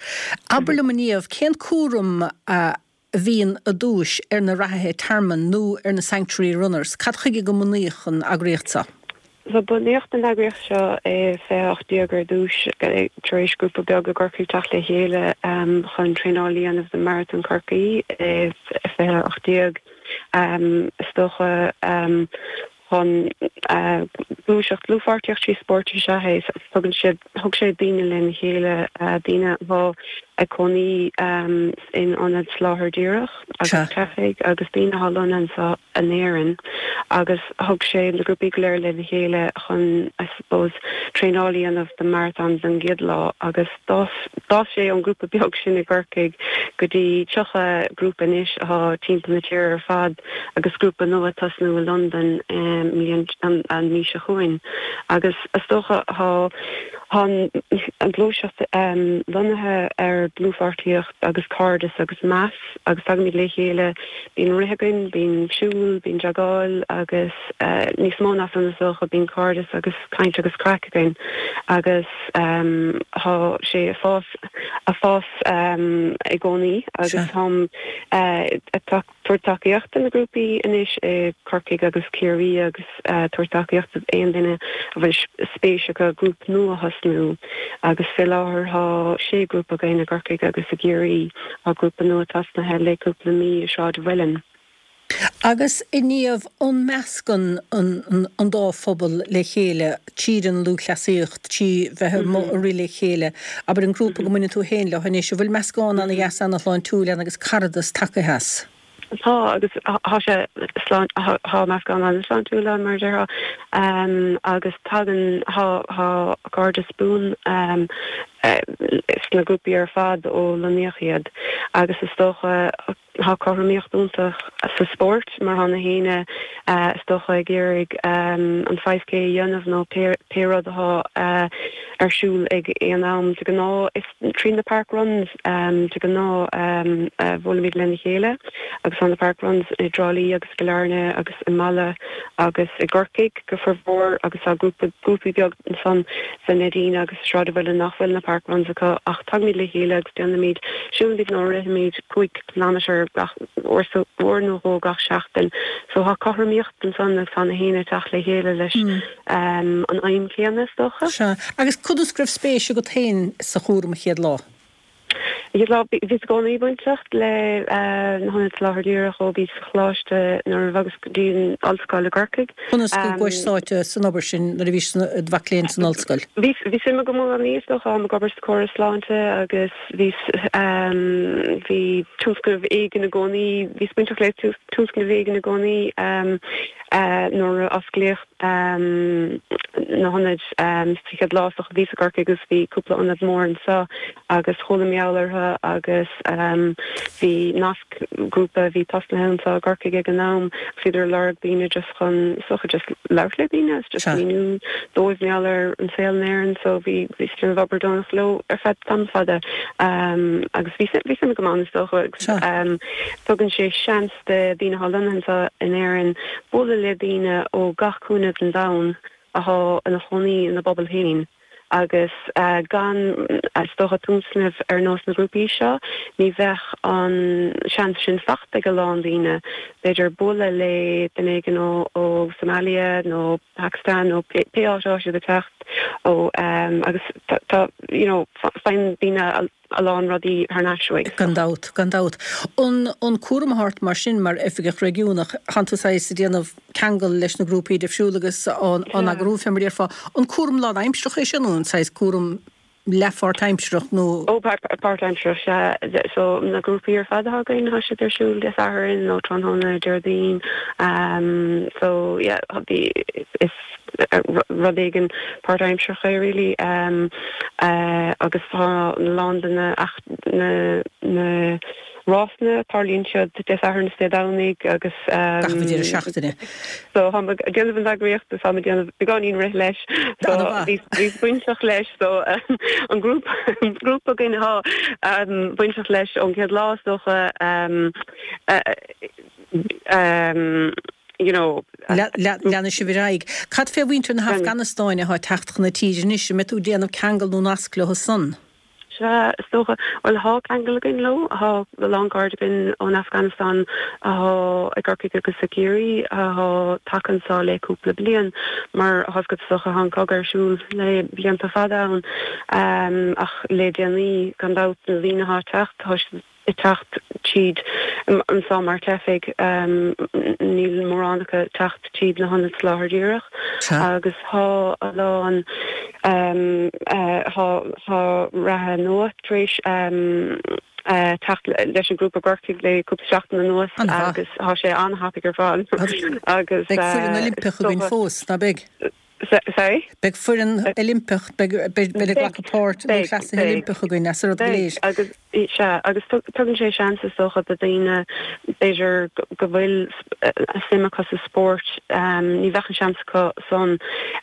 Abair liom a Niamh, cén cúram a bhíonn i dtúis ar na reathaithe tearmainn nó ar na Sanctuary Runners? Cad chuige go mbunaíodh an eagraíocht seo? So bunaíodh an eagraíocht seo i fiche a hocht déag ar dtús tar éis grúpa beag i gCorcaigh teacht le chéile chun traenáil a dhéanamh do Marathon Chorcaí i fiche a hocht déag. Is dócha chun gluaiseacht, dlúthpháirtíocht trí spórt is ea é. Tugann siad, thug sé daoine lena chéile, daoine atá ag cónaí in ionad soláthair díreach agus teifigh agus daoine atá lonnaithe anseo in Éirinn agus thug sé na grúpaí go léir lena chéile chun, I suppose, traenáil a dhéanamh do marathon don gcéad lá agus d'fhás, d'fhás sé ón ngrúpa beag sin i gCorcaigh go dtí tríocha grúpa anois atá timpeall na tíre ar fad. agus grúpa nua ag tosnú i Londain an mhí seo chugainn agus is dócha tá an ghluaiseacht lonnaithe ar dlúthpháirtíocht agus cairdeas agus meas agus tagaimid le chéile, bíonn rith againn, bíonn siúl, bíonn jogáil agus níos mó ná san is dócha, bíonn cairdeas agus caint agus craic againn agus tá sé ag fás, ag fás i gcónaí agus táim ag tabhairt tacaíocht do na grúpaí anois i Corcaigh agus Ciarraí agus tabhairt tacaíocht d'aon duine a bhfuil spéis acu grúpa nua a thosnú agus fé láthair tá sé grúpa againn i gCorcaigh agus i gCiarraí. Tá grúpa nua tosnaithe le cúpla mí i Sráid an Mhuilinn. Agus a Niamh, an meascann an dá phobal le chéile tríd an lúthchleasaíocht, trí bheith amuigh ag rith le chéile, abair an grúpa go mbaineann tú féin leo anois, an bhfuil meascán ana-dheas ana-shláintiúil ann agus caradas tagtha as? Tá, agus tá sé slán, tá meascán an-sláintiúil ann, mar a déarfá, agus tagann, tá cairdeas buan sna grúpaí ar fad ó lonnaíodh iad agus is dócha, Tá cothromaíocht iontach sa spórt mar tá na héinne is dócha ag iarraidh an five K a dhéanamh nó pé rud atá ar siúl ag aon am. De ghnáth is trí na park runs de ghnáth a bhuailimid lena chéile agus tá na park runs i dTrá Lí agus i gCill Airne agus i Mala agus i gCorcaigh go formhór agus tá grúpa grúpaí beag ansan sa Neidín agus sa Sráidbhaile nach bhfuil na park runs acu ach tagaimid le chéile agus déanaimid siúlaimid nó rithimid cúig kilometre gach uair uair nó dhó gach seachtain. So tá cothromaíocht ansan agus tá na héinne ag teacht le chéile leis an aidhm chéanna is dócha. Sea. Agus conas go raibh spéis agat féin sa chúram an chéad lá? An chéad lá, bhíos i gcónaí bainteach le na hIonaid Soláthair Dhíreach ó bhíos sa choláiste nuair a bhogas go dtí an ollscoil i gCorcaigh. Conas go gcuais sáite san obair sin nuair a bhís i do mhac léinn san ollscoil? Bhí bhí suim agam i gcónaí is dócha, táim ag obair sa chóras sláinte agus bhíos bhí tionscnamh éigin i gcónaí, bhíos bainteach le tionscnamh éigin i gcónaí nuair a osclaíodh na hionaid sa chéad lá is dócha bhíos i gCorcaigh agus bhí cúpla ionad mór anseo agus chuala mé mar gheall orthu agus bhí nasc grúpa a bhí tosnaithe anseo i gCorcaigh ag an am agus bhíodar ag lorg daoine just chun is dócha just labhairt le daoine agus just míniú dóibh mar gheall ar an saol in Éirinn so bhí bhíos ag déanamh obair deonach leo ar feadh tamall fada agus bhí bhí suim agam ann is dócha agus tugann sé seans do daoine atá lonnaithe anseo in Éirinn bualadh le daoine ó gach cúinne den domhan atá ina chónaí ina bpobal féin agus gan, is dócha, tionscnaimh ar nós na grúpaí seo, ní bheadh an seans sin fachta ag a lán daoine, b'fhéidir, bualadh le duine éigin ó Somalia nó Pakistan nó pé áit atá siad ag teacht ó agus tá, you know, faigheann daoine a lán rudaí thar n-ais uaidh. Gan dabht, gan dabht. An an cúram atá ort mar sin, mar Oifigeach Réigiúnach, tánn tú saghas ag déanamh ceangal leis na grúpaí difriúla agus á n-eagrú, fé mar a déarfá. An cúram lánaimsearach é sin nó an saghas cúram leath-pháirtaimsearach nó? Ó, páirtaimsearach, sea. So, na grúpaí ar fad atá againn, tá siad ar siúl Dé Sathairn nó tráthnóna Déardaoin. So, yeah, bhí, is. rud éigin páirtaimsearach é really agus tá a lán de na na na rásanna tarlaíonn siad Dé Sathairn is Dé Domhnaigh agus gach deireadh seachtaine. So táim ag déanamh an eagraíocht agus táim ag déanamh beagáinín rith leis so bhíos bainteach leis so an grúpa grúpa againn atá bainteach leis ón gcéad lá is dócha you know. Leanfaidh sibh ar aghaidh. Cad fé mhuintir na hAfganastáine atá ag teacht chun na tíre anois? An mbeidh tú ag déanamh ceangal nó nasc leo san? Sea, is dócha. Bhuel, thá ceangal againn leo. Thá a lán cairde againn ón Afganastáin athá i gCorcaigh agus i gCiarraí athá tagtha anso le cúpla bliain. Mar atá fhios agat is dócha, thá an cogadh ar siúl le blianta fada ann. Ach le déanaí, gan dabht, na daoine athá ag teacht, thá siad ag teacht tríd anso mar teifigh, níl mórán acu ag teacht tríd na hionaid soláthair dhíreach agus thá a lán, thá reathaithe nua tar éis teacht leis an ghrúpa i gCorcaigh le cúpla seachtain anuas agus thá sé an-thapaidh ar fad agus. Beidh foireann Oilimpeach againn fós, ná beidh? Sorry? Beidh foireann Oilimpeach, beidh beidh ag glacadh páirt lúthchleasaithe Oilimpeach againn as an rud go léir. Agus, sea, agus tugann sé seans is dócha do dhaoine b'fhéidir go bhfuil suim acu sa spórt, ní bheadh an seans acu san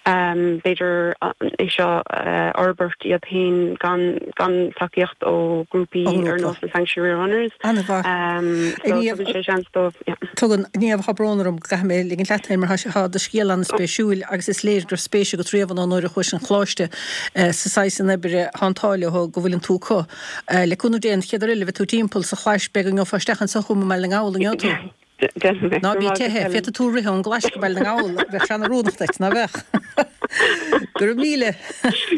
b'fhéidir é seo a fhorbairt iad féin gan gan tacaíocht ó ghrúpaí ar nós na Sanctuary Runners. An-mhaith. So tugann sé seans dóibh, yeah. Tugann. Niamh, tá brón orm go gcaithfidh mé ligint leat féin mar tá do scéal an-spéisiúil agus is léir go raibh spéis agat riamh ann nuair a chuais chun choláiste sa saghas san oibre tá an t-ádh leo go bhfuileann tú acu. Le cúnamh Dé an chéad uair eile a bheidh tú timpeall sa Chlais beidh go ngeofá isteach anseo chugam i mBaile na nGall, an ngeobhaidh tú? Déanfaidh mé. Ná bí ag teitheadh, féadfaidh tú rith ón gClais go Baile na nGall, bheadh sé an-oiriúnach duit, ná bheadh? Go raibh míle.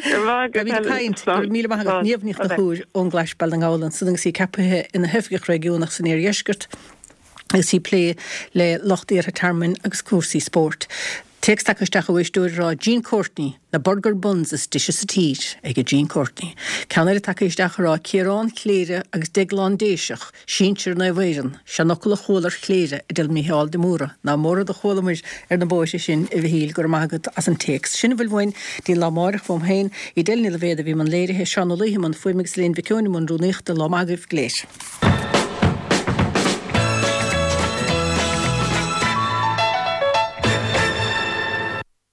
Go raibh maith agat, Go raibh caint. Go raibh míle maith agat. Niamh Ní Chonchúir ón gClais Baile na nGall ansan agus í ceaptha ina hOifigeach Réigiúnach san Iardheisceart. Agus í ag plé le lucht iarrtha tearmainn agus cúrsaí spóirt. Téacs tagtha isteach ó éisteoir ag rá Jean Courtney, na burger buns is deise sa tír ag Jean Courtney. Ceann eile tagtha isteach ag rá Ciarán Chléire agus Deaglán Déiseach, sinsir Naomh Éireann, seanfhocal a chuala ar Chléire a deir Mícheál de Mórdha, ná móra do chualamar ar na bóithre sin a Mhichíl, go raibh maith agat as an téacs. Sin a bhfuil uainn dtí lá amárach uaim féin, Edel Ní Loibhéad a bhí i mbun léirithe, Seán Ó Laoithe i mbun fuaime agus Elaine Mhic Eoin i mbun rúnaíochta, lá maith agaibh go léir.